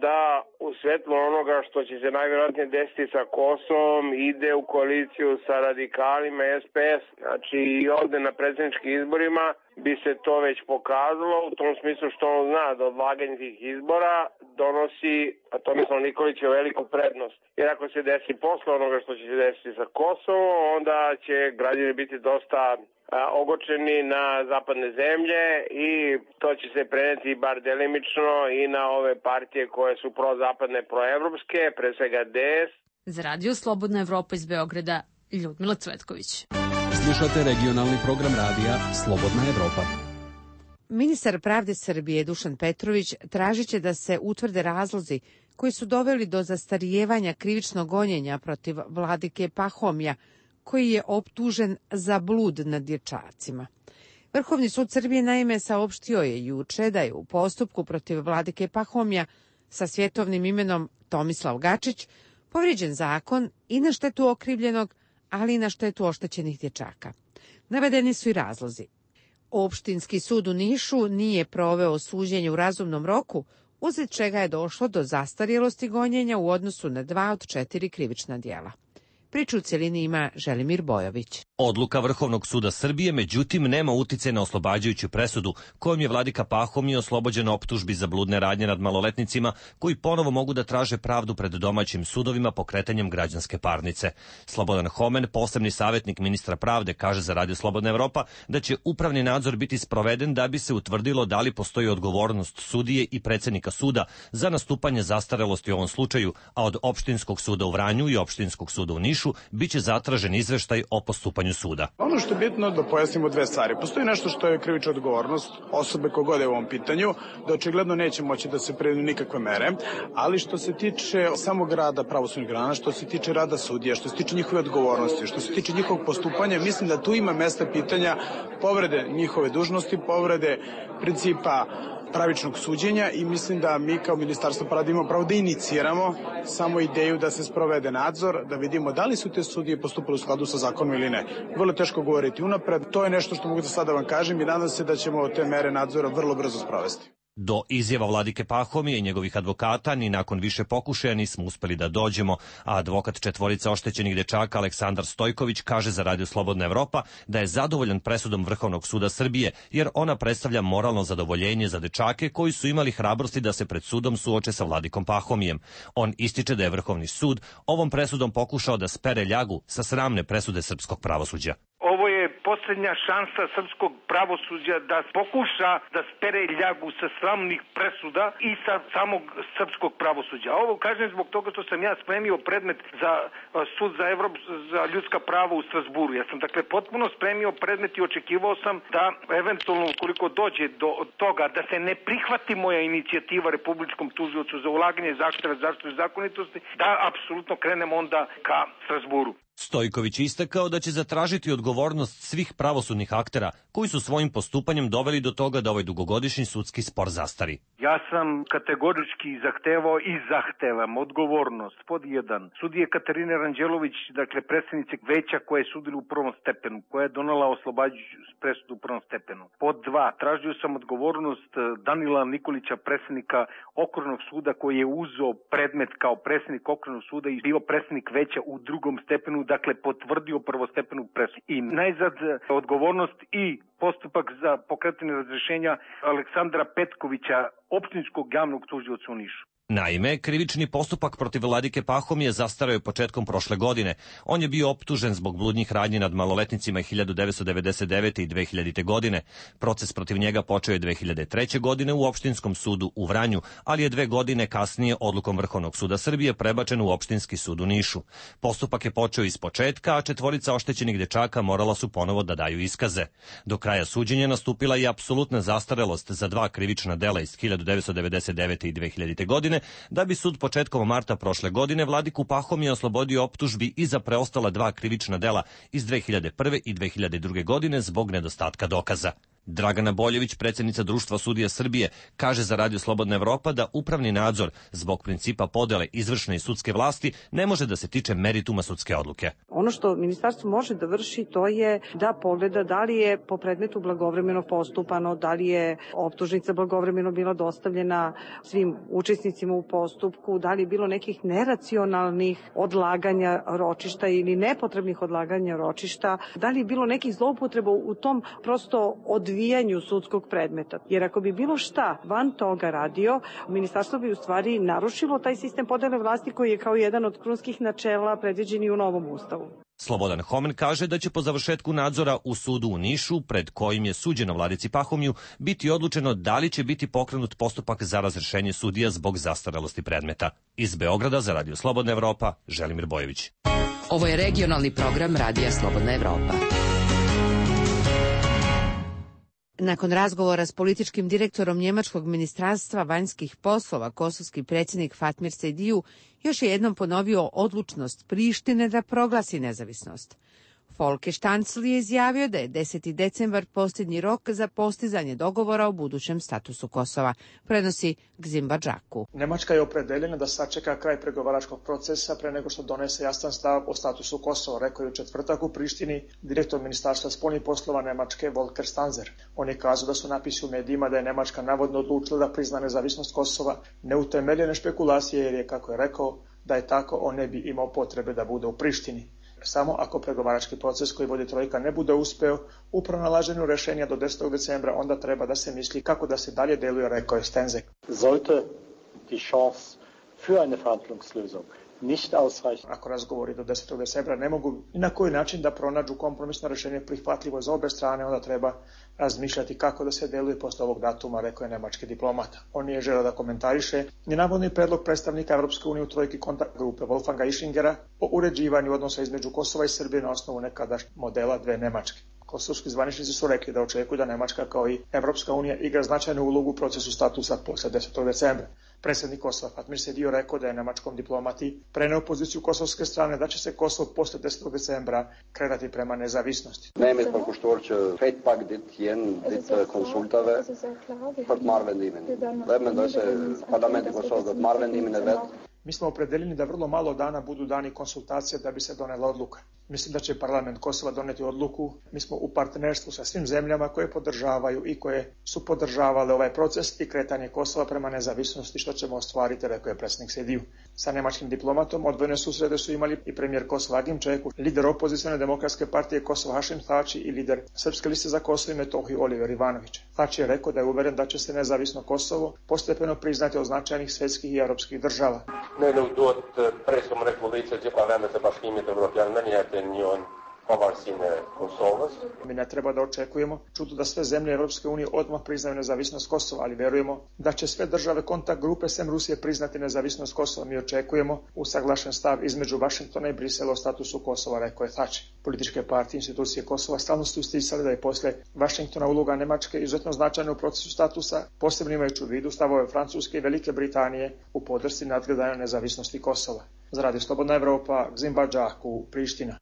Speaker 12: da u svetlu onoga što će se najvjerojatnije desiti sa Kosovom ide u koaliciju sa radikalima SPS. Znači i ovde na predsjedničkim izborima bi se to već pokazalo u tom smislu što on zna da odlaganje tih izbora donosi Tomislav Nikoliću veliku prednost. Jer ako se desi posle onoga što će se desiti sa Kosovom, onda će građani biti dosta ogorčeni na zapadne zemlje i to će se preneti bar delimično i na ove partije koje su prozapadne, proevropske, pre svega DS.
Speaker 4: Za Radio Slobodna Evropa iz Beograda, Ljudmila Cvetković.
Speaker 3: Slušate regionalni program radija Slobodna Evropa.
Speaker 1: Ministar pravde Srbije Dušan Petrović tražit će da se utvrde razlozi koji su doveli do zastarijevanja krivičnog gonjenja protiv vladike Pahomija, koji je optužen za blud nad dječacima. Vrhovni sud Srbije naime saopštio je juče da je u postupku protiv vladike Pahomija sa svjetovnim imenom Tomislav Gačić povrijeđen zakon i na štetu okrivljenog, ali i na štetu oštećenih dječaka. Navedeni su i razlozi. Opštinski sud u Nišu nije proveo suđenje u razumnom roku, uzet čega je došlo do zastarjelosti gonjenja u odnosu na 2 od 4 krivična djela. Priču u cjelini ima Želimir Bojović.
Speaker 5: Odluka Vrhovnog suda Srbije, međutim, nema utice na oslobađajuću presudu kojom je vladika Pahomije oslobođen optužbi za bludne radnje nad maloletnicima koji ponovo mogu da traže pravdu pred domaćim sudovima pokretanjem građanske parnice. Slobodan Homen, posebni savjetnik ministra pravde, kaže za Radio Slobodna Evropa da će upravni nadzor biti sproveden da bi se utvrdilo da li postoji odgovornost sudije i predsjednika suda za nastupanje zastarelosti u ovom slučaju, a od Opštinskog suda u Vranju i Opštinskog suda u Nišu biće zatražen izveštaj o postupanju suda.
Speaker 13: Ono što je bitno da pojasnimo dve stvari. Postoji nešto što je krivična odgovornost osobe kogod je u ovom pitanju, da očigledno neće moći da se preduzmu nikakve mere, ali što se tiče samog rada pravosudnih organa, što se tiče rada sudija, što se tiče njihove odgovornosti, što se tiče njihovog postupanja, mislim da tu ima mesta pitanja povrede njihove dužnosti, povrede principa pravičnog suđenja i mislim da mi kao Ministarstvo pravde imamo pravo da iniciramo samo ideju da se sprovede nadzor, da vidimo da li su te sudije postupile u skladu sa zakonom ili ne. Vrlo teško govoriti unapred, to je nešto što mogu da sada vam kažem i nadam se da ćemo te mere nadzora vrlo brzo sprovesti.
Speaker 5: Do izjava vladike Pahomije i njegovih advokata ni nakon više pokušaja nismo uspeli da dođemo, a advokat četvorica oštećenih dečaka Aleksandar Stojković kaže za Radio Slobodna Evropa da je zadovoljan presudom Vrhovnog suda Srbije jer ona predstavlja moralno zadovoljenje za dečake koji su imali hrabrosti da se pred sudom suoče sa vladikom Pahomijem. On ističe da je Vrhovni sud ovom presudom pokušao da spere ljagu sa sramne presude srpskog pravosuđa.
Speaker 11: Ovo je posljednja šansa srpskog pravosuđa da pokuša da spere ljagu sa sramnih presuda i sa samog srpskog pravosuđa. Ovo kažem zbog toga što sam ja spremio predmet za sud za ljudska prava u Strasburu. Ja sam dakle potpuno spremio predmet i očekivao sam da eventualno ukoliko dođe do toga da se ne prihvati moja inicijativa Republičkom tužiocu za ulaganje zahteva zaštite zakonitosti, da apsolutno krenemo onda ka Strasburu.
Speaker 5: Stojković istakao da će zatražiti odgovornost svih pravosudnih aktera koji su svojim postupanjem doveli do toga da ovaj dugogodišnji sudski spor zastari.
Speaker 11: Ja sam kategorički zahtevao i zahtevam odgovornost pod 1. Sudije Katarine Ranđelović, dakle predsjednice veća koja je sudila u prvom stepenu, koja je donela oslobađajuću presudu u prvom stepenu. Pod 2. Tražio sam odgovornost Danila Nikolića, predsjednika Okružnog suda koji je uzeo predmet kao predsjednik Okružnog suda i bio predsjednik veća u drugom stepenu, dakle potvrdio prvostepenu presudu. I najzad odgovornost i postupak za pokretanje razrješenja Aleksandra Petkovića, općinskog javnog tužioca u Nišu.
Speaker 5: Naime, krivični postupak protiv Vladike Pahomije zastarao je početkom prošle godine. On je bio optužen zbog bludnjih radnji nad maloletnicima 1999. i 2000. godine. Proces protiv njega počeo je 2003. godine u Opštinskom sudu u Vranju, ali je 2 godine kasnije odlukom Vrhovnog suda Srbije prebačen u Opštinski sud u Nišu. Postupak je počeo iz početka, a 4 oštećenih dečaka morala su ponovo da daju iskaze. Do kraja suđenja nastupila je apsolutna zastarelost za 2 krivična dela iz 1999. i 2000. godine, da bi sud početkom marta prošle godine Vladiku Pahomija oslobodio optužbi i za preostala 2 krivična dela iz 2001. i 2002. godine zbog nedostatka dokaza. Dragana Boljević, predsjednica Društva sudija Srbije, kaže za Radio Slobodna Evropa da upravni nadzor zbog principa podele izvršne i sudske vlasti ne može da se tiče merituma sudske odluke.
Speaker 14: Ono što ministarstvo može da vrši, to je da pogleda da li je po predmetu blagovremeno postupano, da li je optužnica blagovremeno bila dostavljena svim učesnicima u postupku, da li je bilo nekih neracionalnih odlaganja ročišta ili nepotrebnih odlaganja ročišta, da li je bilo nekih zloupotreba u tom prosto odvijanju sudskog predmeta. Jer ako bi bilo šta van toga radio, ministarstvo bi u stvari narušilo taj sistem podele vlasti koji je kao jedan od krunskih načela predviđen i u novom ustavu.
Speaker 5: Slobodan Homen kaže da će po završetku nadzora u sudu u Nišu, pred kojim je suđeno Vladici Pahomiju, biti odlučeno da li će biti pokrenut postupak za razrešenje sudija zbog zastarelosti predmeta. Iz Beograda za Radio Slobodna Evropa, Želimir Bojević.
Speaker 21: Ovo je regionalni program Radija Slobodna Evropa.
Speaker 1: Nakon razgovora s političkim direktorom Njemačkog ministarstva vanjskih poslova, kosovski predsjednik Fatmir Sejdiju još je jednom ponovio odlučnost Prištine da proglasi nezavisnost. Folke Štancl je izjavio da je 10. decembar posljednji rok za postizanje dogovora o budućem statusu Kosova, prenosi Gzimba Džaku.
Speaker 15: Nemačka je opredeljena da sačeka kraj pregovaračkog procesa pre nego što donese jasan stav o statusu Kosova, rekao je u četvrtak u Prištini direktor Ministarstva spoljnih poslova Nemačke Volker Stanzer. On je kazao da su napisi u medijima da je Nemačka navodno odlučila da prizna nezavisnost Kosova neutemeljene špekulacije, jer je, kako je rekao, da je tako on ne bi imao potrebe da bude u Prištini. Samo ako pregovarački proces koji vodi trojka ne bude uspeo u pronalaženju rešenja do 10. decembra, onda treba da se misli kako da se dalje deluje, rekao je Stenzek.
Speaker 17: Sollte die Chance für eine Verhandlungslösung nicht ausreichen.
Speaker 15: Ako razgovori do 10. decembra ne mogu ni na koji način da pronađu kompromisno rešenje prihvatljivo za obe strane, onda treba razmišljati kako da se deluje posle ovog datuma, rekao je nemački diplomata. On nije želeo da komentariše ni navodni predlog predstavnika Evropske unije u trojki kontakt grupe Wolfganga Ischingera o uređivanju odnosa između Kosova i Srbije na osnovu nekadašnjeg modela 2 Nemačke. Kosovski zvaničnici su rekli da očekuju da Nemačka kao i Evropska unija igra značajnu ulogu u procesu statusa posle 10. decembra. Predsjednik Kosova Fatmir Sejdiju rekao da je nemačkom diplomati preneo poziciju kosovske strane da će se Kosovo posle 10. decembra kretati prema nezavisnosti.
Speaker 17: Nemet van Koštorče, feitpak dit jen dit konsultave pod marvendimen. Lemen da se parlamenti Kosova pod marvendimen vet.
Speaker 15: Mi smo opredeljeni da vrlo malo dana budu dani konsultacije da bi se donela odluka. Mislim da će parlament Kosova doneti odluku. Mi smo u partnerstvu sa svim zemljama koje podržavaju i koje su podržavale ovaj proces i kretanje Kosova prema nezavisnosti, što ćemo ostvariti, rekao je predsjednik Sejdiju. Sa nemačkim diplomatom odvojene susrete su imali i premijer Kosova Agim Čeku, lider opozicione demokratske partije Kosova Hašim Tači i lider Srpske liste za Kosovo i Metohiju Oliver Ivanović. Tači je rekao da je uveren da će se nezavisno Kosovo postepeno priznati od značajnih svetskih i evropskih država.
Speaker 17: Në lutot presim Republikës që pa vende të Bashkimit Evropian në njëtën njën
Speaker 15: Mi ne treba da očekujemo čudo da sve zemlje Europske unije odmah priznaju nezavisnost Kosova, ali verujemo da će sve države kontakt grupe sem Rusije priznati nezavisnost Kosova. Mi očekujemo usaglašen stav između Vašingtona i Brisela o statusu Kosova, rekao je Thatcher. Političke partije i institucije Kosova stalno su isticali da je posle Vašingtona uloga Nemačke izuzetno značajna u procesu statusa, posebno imajući u vidu stavove Francuske i Velike Britanije u podršci nadgledanju nezavisnosti Kosova. Za Radio Slobodna Evropa, Gzimba Džaku, Priština.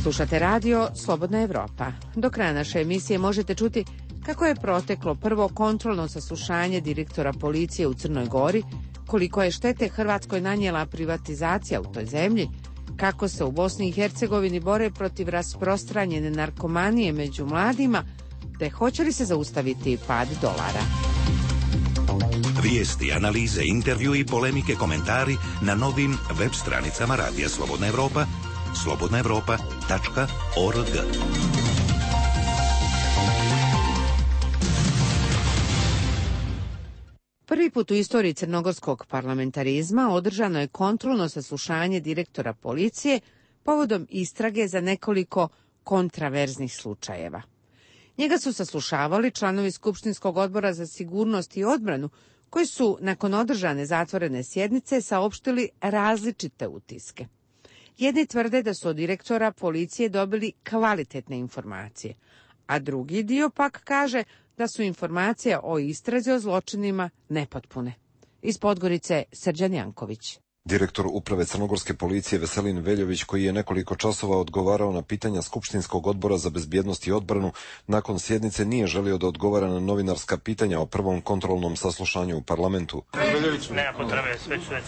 Speaker 1: Slušate radio Slobodna Evropa. Do kraja naše emisije možete čuti kako je proteklo prvo kontrolno saslušanje direktora policije u Crnoj Gori, koliko je štete Hrvatskoj nanijela privatizacija u toj zemlji, kako se u Bosni i Hercegovini bore protiv rasprostranjene narkomanije među mladima, te hoće li se zaustaviti pad dolara.
Speaker 6: Vijesti, analize, intervju i polemike, komentari na novim web stranicama Radija Slobodna Evropa, slobodnaevropa.org.
Speaker 1: Prvi put u istoriji crnogorskog parlamentarizma održano je kontrolno saslušanje direktora policije povodom istrage za nekoliko kontraverznih slučajeva. Njega su saslušavali članovi Skupštinskog odbora za sigurnost i odbranu, koji su nakon održane zatvorene sjednice saopštili različite utiske. Jedni tvrde da su od direktora policije dobili kvalitetne informacije, a drugi dio pak kaže da su informacije o istrazi o zločinima nepotpune. Iz Podgorice, Srđan Janković.
Speaker 10: Direktor uprave crnogorske policije Veselin Veljović, koji je nekoliko časova odgovarao na pitanja Skupštinskog odbora za bezbjednost i odbranu, nakon sjednice nije želio da odgovara na novinarska pitanja o prvom kontrolnom saslušanju u parlamentu.
Speaker 16: Veljović, nema potrebe, sve ću reći.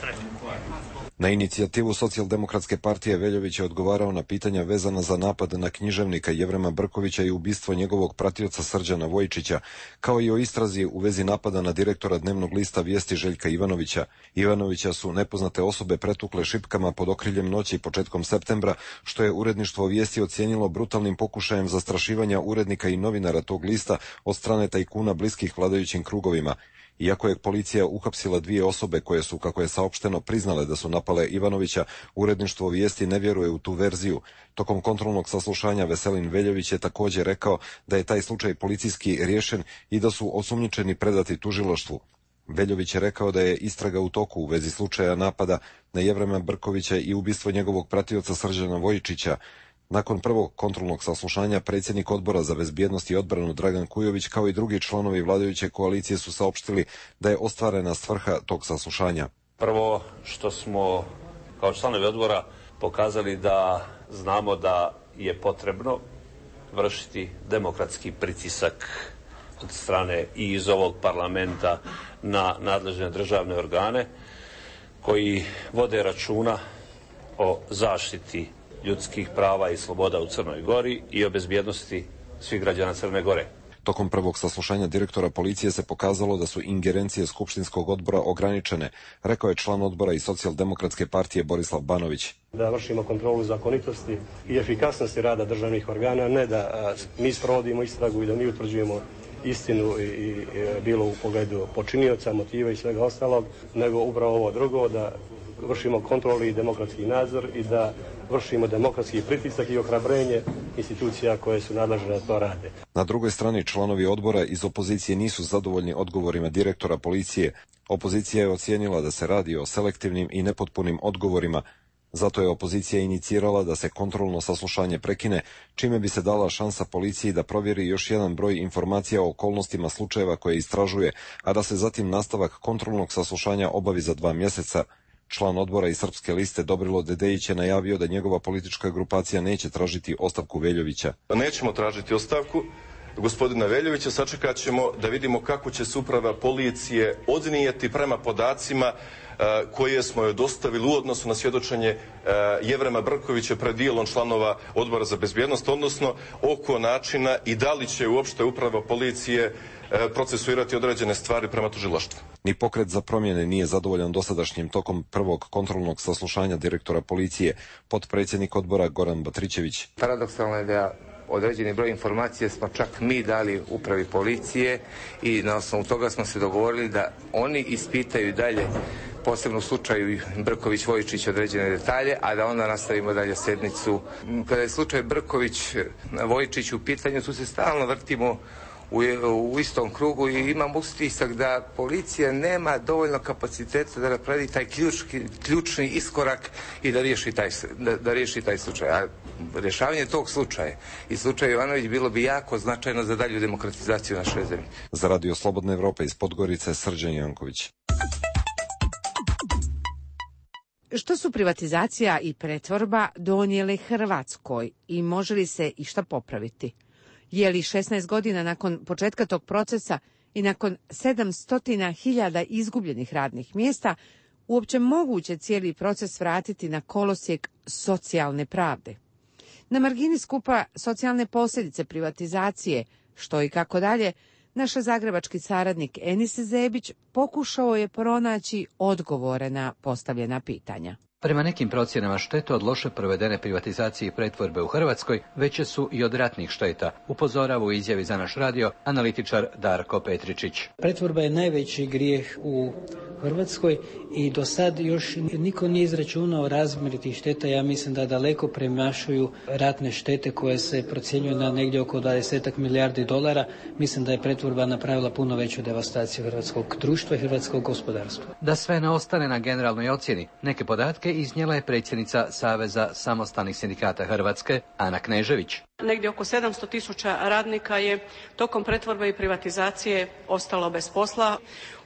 Speaker 10: Na inicijativu Socijaldemokratske partije Veljović je odgovarao na pitanja vezana za napad na književnika Jevrema Brkovića i ubistvo njegovog pratioca Srđana Vojčića, kao i o istrazi u vezi napada na direktora dnevnog lista Vijesti Željka Ivanovića. Ivanovića su nepoznate osobe pretukle šipkama pod okriljem noći početkom septembra, što je uredništvo Vijesti ocijenilo brutalnim pokušajem zastrašivanja urednika i novinara tog lista od strane tajkuna bliskih vladajućim krugovima. Iako je policija uhapsila 2 osobe koje su, kako je saopšteno, priznale da su napale Ivanovića, uredništvo Vijesti ne vjeruje u tu verziju. Tokom kontrolnog saslušanja Veselin Veljović je također rekao da je taj slučaj policijski riješen i da su osumnjičeni predati tužilaštvu. Veljović je rekao da je istraga u toku u vezi slučaja napada na Jevrema Brkovića i ubistvo njegovog pratioca Srđana Vojčića. Nakon prvog kontrolnog saslušanja predsjednik odbora za bezbjednost i odbranu Dragan Kujović kao i drugi članovi vladajuće koalicije su saopštili da je ostvarena svrha tog saslušanja.
Speaker 16: Prvo što smo kao članovi odbora pokazali da znamo da je potrebno vršiti demokratski pritisak od strane i iz ovog parlamenta na nadležne državne organe koji vode računa o zaštiti ljudskih prava i sloboda u Crnoj Gori i o bezbjednosti svih građana Crne Gore.
Speaker 10: Tokom prvog saslušanja direktora policije se pokazalo da su ingerencije Skupštinskog odbora ograničene, rekao je član odbora i Socijaldemokratske partije Borislav Banović.
Speaker 18: Da vršimo kontrolu zakonitosti i efikasnosti rada državnih organa, ne da mi sprovodimo istragu i da mi utvrđujemo istinu i bilo u pogledu počinioca, motiva i svega ostalog, nego upravo ovo drugo, da vršimo kontrolu i demokratski nadzor i da vršimo demokratski pritisak i ohrabrenje institucija koje su nadležne da to rade.
Speaker 10: Na drugoj strani članovi odbora iz opozicije nisu zadovoljni odgovorima direktora policije. Opozicija je ocijenila da se radi o selektivnim i nepotpunim odgovorima. Zato je opozicija inicirala da se kontrolno saslušanje prekine, čime bi se dala šansa policiji da provjeri još jedan broj informacija o okolnostima slučajeva koje istražuje, a da se zatim nastavak kontrolnog saslušanja obavi za 2 mjeseca. Član odbora iz Srpske liste Dobrilo Dedejić je najavio da njegova politička grupacija neće tražiti ostavku Veljovića.
Speaker 19: Nećemo tražiti ostavku gospodina Veljovića, sačekat ćemo da vidimo kako će se uprava policije odnijeti prema podacima koje smo joj dostavili u odnosu na svjedočenje Jevrema Brkovića pred dijelom članova odbora za bezbjednost, odnosno oko načina i da li će uopšte uprava policije procesuirati određene stvari prema tužilaštvu.
Speaker 10: Ni Pokret za promjene nije zadovoljan dosadašnjim tokom prvog kontrolnog saslušanja direktora policije, potpredsjednik odbora Goran Batrićević.
Speaker 20: Paradoksalno je da određeni broj informacije smo čak mi dali upravi policije i na osnovu toga smo se dogovorili da oni ispitaju dalje posebno u slučaju Brković-Vojčić određene detalje, a da onda nastavimo dalje sjednicu. Kada je slučaj Brković-Vojčić u pitanju, tu se stalno vrtimo u istom krugu i imam utisak da policija nema dovoljno kapaciteta da napravi taj ključni iskorak i da riješi taj slučaj. A rješavanje tog slučaja i slučaj Jovanović bilo bi jako značajno za dalju demokratizaciju naše zemlje.
Speaker 10: Za Radio Slobodna Evropa iz Podgorice, Srđan Janković.
Speaker 1: Što su privatizacija i pretvorba donijele Hrvatskoj i može li se išta popraviti? Je li 16 godina nakon početka tog procesa i nakon 700.000 izgubljenih radnih mjesta uopće moguće cijeli proces vratiti na kolosijek socijalne pravde? Na margini skupa socijalne posljedice privatizacije, što i kako dalje, naš zagrebački saradnik Enis Zebić pokušao je pronaći odgovore na postavljena pitanja.
Speaker 8: Prema nekim procjenama štete od loše provedene privatizacije i pretvorbe u Hrvatskoj veće su i od ratnih šteta, upozorava u izjavi za naš radio analitičar Darko Petričić.
Speaker 9: Pretvorba je najveći grijeh u Hrvatskoj i do sad još niko nije izračunao razmjer tih šteta. Ja mislim da daleko premašuju ratne štete koje se procjenjuju na negdje oko 20 milijardi dolara. Mislim da je pretvorba napravila puno veću devastaciju hrvatskog društva i hrvatskog gospodarstva.
Speaker 8: Da sve ne ostane na generalnoj ocjeni, neke podatke iznijela je predsjednica Saveza samostalnih sindikata Hrvatske, Ana Knežević.
Speaker 22: Negdje oko 700.000 radnika je tokom pretvorbe i privatizacije ostalo bez posla.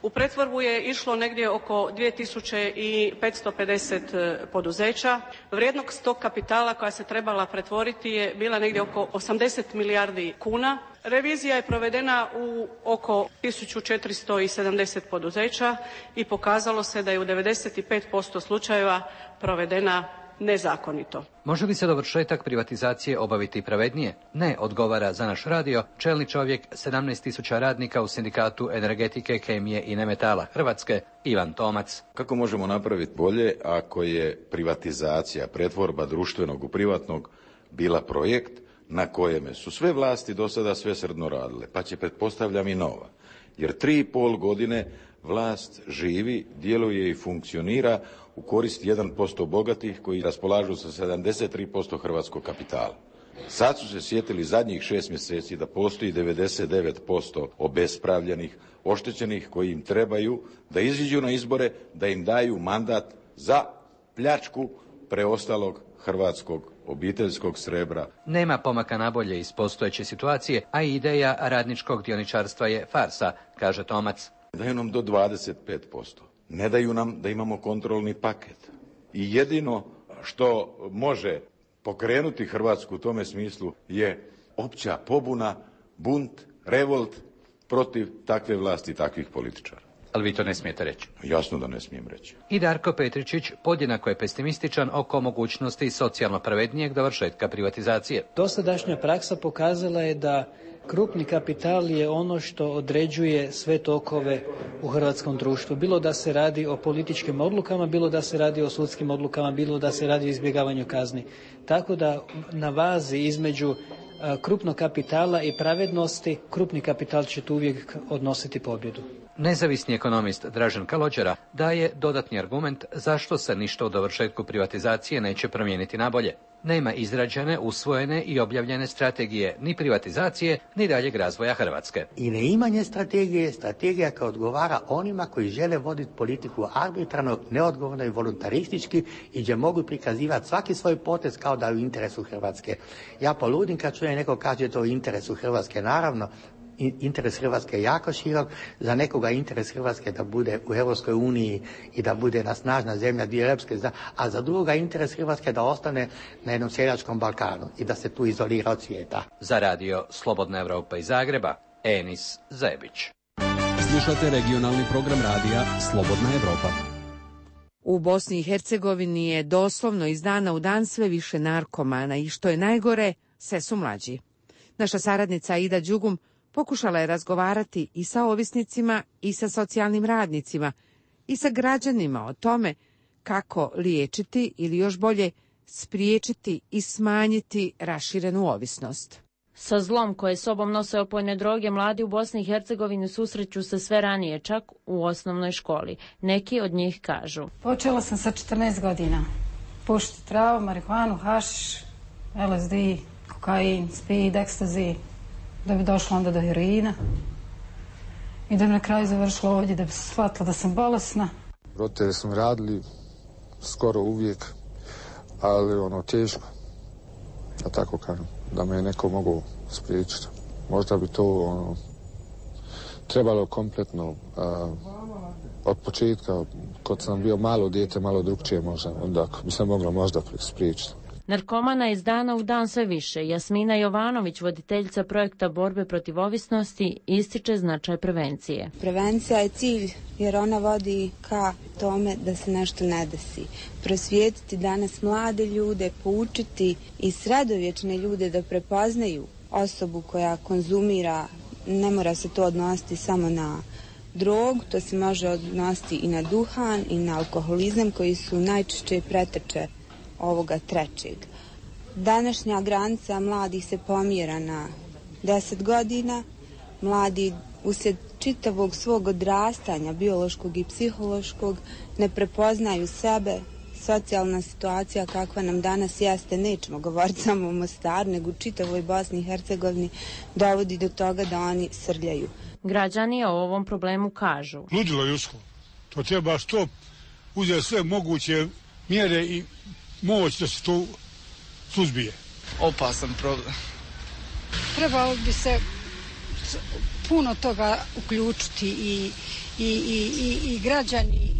Speaker 22: U pretvorbu je išlo negdje oko 2550 poduzeća. Vrijednost tog kapitala koja se trebala pretvoriti je bila negdje oko 80 milijardi kuna. Revizija je provedena u oko 1470 poduzeća i pokazalo se da je u 95% slučajeva provedena nezakonito.
Speaker 8: Može li se dovršetak privatizacije obaviti pravednije? Ne, odgovara za naš radio čelni čovjek 17.000 radnika u sindikatu energetike, kemije i nemetala Hrvatske, Ivan Tomac.
Speaker 23: Kako možemo napraviti bolje ako je privatizacija, pretvorba društvenog u privatnog bila projekt na kojem su sve vlasti do sada svesrdno radile, pa će pretpostavljam i nova. Jer 3,5 godine vlast živi, djeluje i funkcionira u korist 1% bogatih koji raspolažu sa 73% hrvatskog kapitala. Sad su se sjetili zadnjih 6 mjeseci da postoji 99% obespravljenih, oštećenih koji im trebaju da iziđu na izbore, da im daju mandat za pljačku preostalog hrvatskog obiteljskog srebra.
Speaker 8: Nema pomaka nabolje iz postojeće situacije, a ideja radničkog dioničarstva je farsa, kaže Tomac.
Speaker 23: Daju nam do 25%. Ne daju nam da imamo kontrolni paket. I jedino što može pokrenuti Hrvatsku u tome smislu je opća pobuna, bunt, revolt protiv takve vlasti i takvih političara.
Speaker 8: Ali vi to ne smijete reći.
Speaker 23: Jasno da ne smijem reći.
Speaker 8: I Darko Petričić podjednako je pesimističan oko mogućnosti socijalno pravednijeg dovršetka privatizacije.
Speaker 9: Dosadašnja praksa pokazala je da krupni kapital je ono što određuje sve tokove u hrvatskom društvu. Bilo da se radi o političkim odlukama, bilo da se radi o sudskim odlukama, bilo da se radi o izbjegavanju kazni. Tako da na vazi između krupnog kapitala i pravednosti, krupni kapital će tu uvijek odnositi pobjedu.
Speaker 8: Nezavisni ekonomist Dražen Kalođera daje dodatni argument zašto se ništa u dovršetku privatizacije neće promijeniti nabolje. Nema izrađene, usvojene i objavljene strategije ni privatizacije, ni daljeg razvoja Hrvatske.
Speaker 24: I neimanje strategije, strategija koja odgovara onima koji žele voditi politiku arbitrarno, neodgovorno i voluntaristički i gdje mogu prikazivati svaki svoj potez kao da je u interesu Hrvatske. Ja poludim kad čujem neko kaže to u interesu Hrvatske, naravno. Interes Hrvatske je jako širok, za nekoga interes Hrvatske da bude u Europskoj uniji i da bude na snažna zemlja dio Europske, a za drugoga interes Hrvatske da ostane na jednom seljačkom Balkanu i da se tu izolira od svijeta.
Speaker 8: Za radio Slobodna Evropa iz Zagreba, Enis Zebić.
Speaker 3: Slušate regionalni program radija Slobodna Evropa.
Speaker 1: U Bosni i Hercegovini je doslovno iz dana u dan sve više narkomana i što je najgore, sve su mlađi. Naša saradnica Aida Đugum pokušala je razgovarati i sa ovisnicima i sa socijalnim radnicima i sa građanima o tome kako liječiti ili još bolje spriječiti i smanjiti raširenu ovisnost.
Speaker 2: Sa zlom koje sobom nose opojne droge, mladi u Bosni i Hercegovini susreću se sve ranije, čak u osnovnoj školi. Neki od njih kažu:
Speaker 4: Počela sam sa 14 godina. Pušiti travu, marihuanu, hašiš, LSD, kokain, speed, ekstazi, da bi došla onda do heroina. I da bi na kraju završila ovdje, da bi se shvatila da sam bolesna.
Speaker 7: Roditelji su mi radili skoro uvijek, ali teško, da tako kažem, da me neko mogu spriječiti. Možda bi to trebalo kompletno od početka, kad sam bio malo dijete, malo drugčije možda, onda bi se moglo možda spriječiti.
Speaker 2: Narkomana iz dana u dan sve više. Jasmina Jovanović, voditeljica projekta borbe protiv ovisnosti, ističe značaj prevencije.
Speaker 12: Prevencija je cilj jer ona vodi ka tome da se nešto ne desi. Prosvijetiti danas mlade ljude, poučiti i sredovječne ljude da prepoznaju osobu koja konzumira, ne mora se to odnositi samo na drogu, to se može odnositi i na duhan i na alkoholizam koji su najčešće preteče ovoga trećeg. Današnja granica mladih se pomjera na 10 godina. Mladi uslijed čitavog svog odrastanja, biološkog i psihološkog, ne prepoznaju sebe. Socijalna situacija kakva nam danas jeste, nećemo govoriti samo o Mostaru, nego u čitavoj Bosni i Hercegovini, dovodi do toga da oni srljaju.
Speaker 2: Građani o ovom problemu kažu:
Speaker 25: Ludilo ljudsko. To treba što uzeti sve moguće mjere i moć da se to suzbije.
Speaker 26: Opasan problem.
Speaker 4: Trebalo bi se puno toga uključiti i građani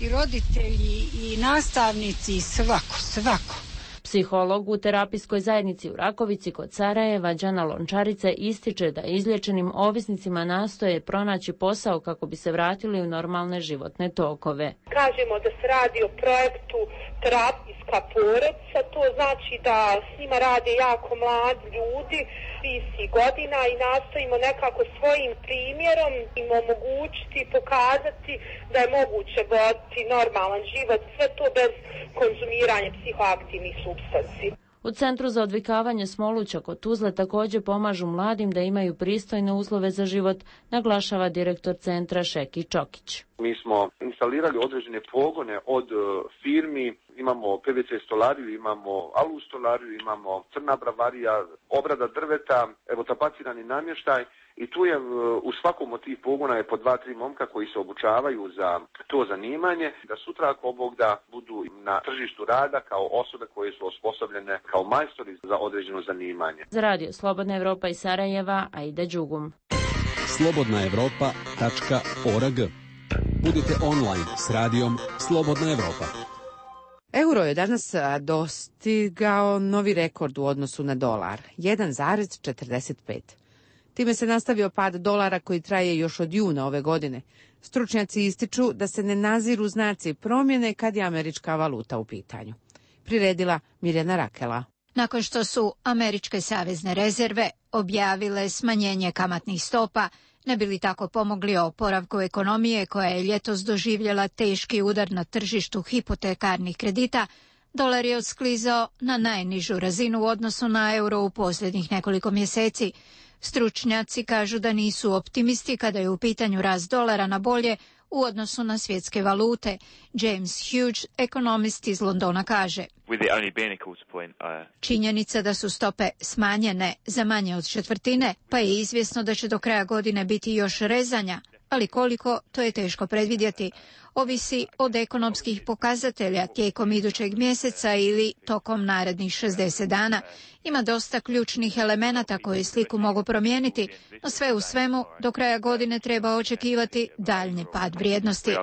Speaker 4: i roditelji i nastavnici i svako.
Speaker 2: Psiholog u terapijskoj zajednici u Rakovici kod Sarajeva, Đana Lončarice, ističe da izliječenim ovisnicima nastoje pronaći posao kako bi se vratili u normalne životne tokove.
Speaker 27: Kažemo da se radi o projektu terapijska porodica, to znači da s njima rade jako mladi ljudi, 30 godina, i nastojimo nekako svojim primjerom im omogućiti i pokazati da je moguće voditi normalan život, sve to bez konzumiranja psihoaktivnih supstanci.
Speaker 2: U Centru za odvikavanje Smoluća kod Tuzle također pomažu mladim da imaju pristojne uslove za život, naglašava direktor centra Šeki Čokić.
Speaker 28: Mi smo instalirali određene pogone od firmi, imamo PVC stolariju, imamo alu stolariju, imamo crna bravarija, obrada drveta, evo tapacirani namještaj, i tu je u svakom od tih pogona je po 2-3 momka koji se obučavaju za to zanimanje, da sutra ako Bog da budu na tržištu rada kao osobe koje su osposobljene kao majstori za određeno zanimanje.
Speaker 2: Za radio Slobodna Evropa iz Sarajeva, Aida Đugum.
Speaker 3: slobodnaevropa.org. Budite online s radijom Slobodna Evropa.
Speaker 1: Euro je danas dostigao novi rekord u odnosu na dolar, 1,45. Time se nastavio pad dolara koji traje još od juna ove godine. Stručnjaci ističu da se ne naziru znaci promjene kad je američka valuta u pitanju. Priredila Mirjana Rakela.
Speaker 29: Nakon što su američke savezne rezerve objavile smanjenje kamatnih stopa, ne bi li tako pomogli oporavku ekonomije koja je ljetos doživjela teški udar na tržištu hipotekarnih kredita, dolar je odsklizao na najnižu razinu u odnosu na euro u posljednjih nekoliko mjeseci. Stručnjaci kažu da nisu optimisti kada je u pitanju rast dolara na bolje u odnosu na svjetske valute. James Hughes, ekonomist iz Londona, kaže: činjenica da su stope smanjene za manje od četvrtine, pa je izvjesno da će do kraja godine biti još rezanja, ali koliko, to je teško predvidjeti. Ovisi od ekonomskih pokazatelja tijekom idućeg mjeseca ili tokom narednih 60 dana. Ima dosta ključnih elemenata koji sliku mogu promijeniti, no sve u svemu do kraja godine treba očekivati daljnji pad vrijednosti.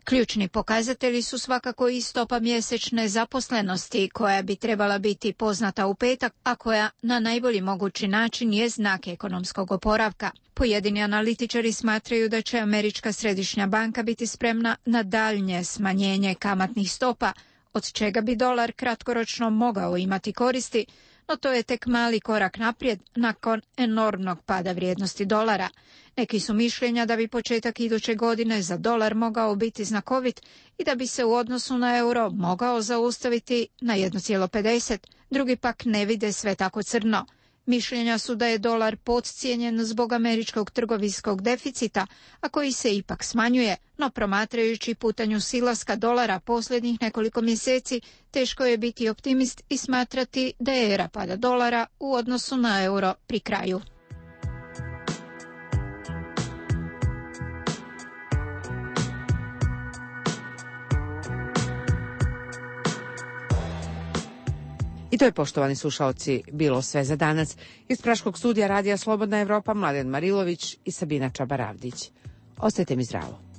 Speaker 29: Ključni pokazatelji su svakako i stopa mjesečne zaposlenosti koja bi trebala biti poznata u petak, a koja na najbolji mogući način je znak ekonomskog oporavka. Pojedini analitičari smatraju da će Američka središnja banka biti spremna na daljnje smanjenje kamatnih stopa, od čega bi dolar kratkoročno mogao imati koristi, no to je tek mali korak naprijed nakon enormnog pada vrijednosti dolara. Neki su mišljenja da bi početak iduće godine za dolar mogao biti znakovit i da bi se u odnosu na euro mogao zaustaviti na 1,50, drugi pak ne vide sve tako crno. Mišljenja su da je dolar podcijenjen zbog američkog trgovinskog deficita, a koji se ipak smanjuje, no promatrajući putanju silaska dolara posljednjih nekoliko mjeseci, teško je biti optimist i smatrati da je era pada dolara u odnosu na euro pri kraju.
Speaker 1: I to je, poštovani slušaoci, bilo sve za danas. Iz Praškog studija Radija Slobodna Evropa, Mladen Marilović i Sabina Čabaravdić. Ostajte mi zdravo.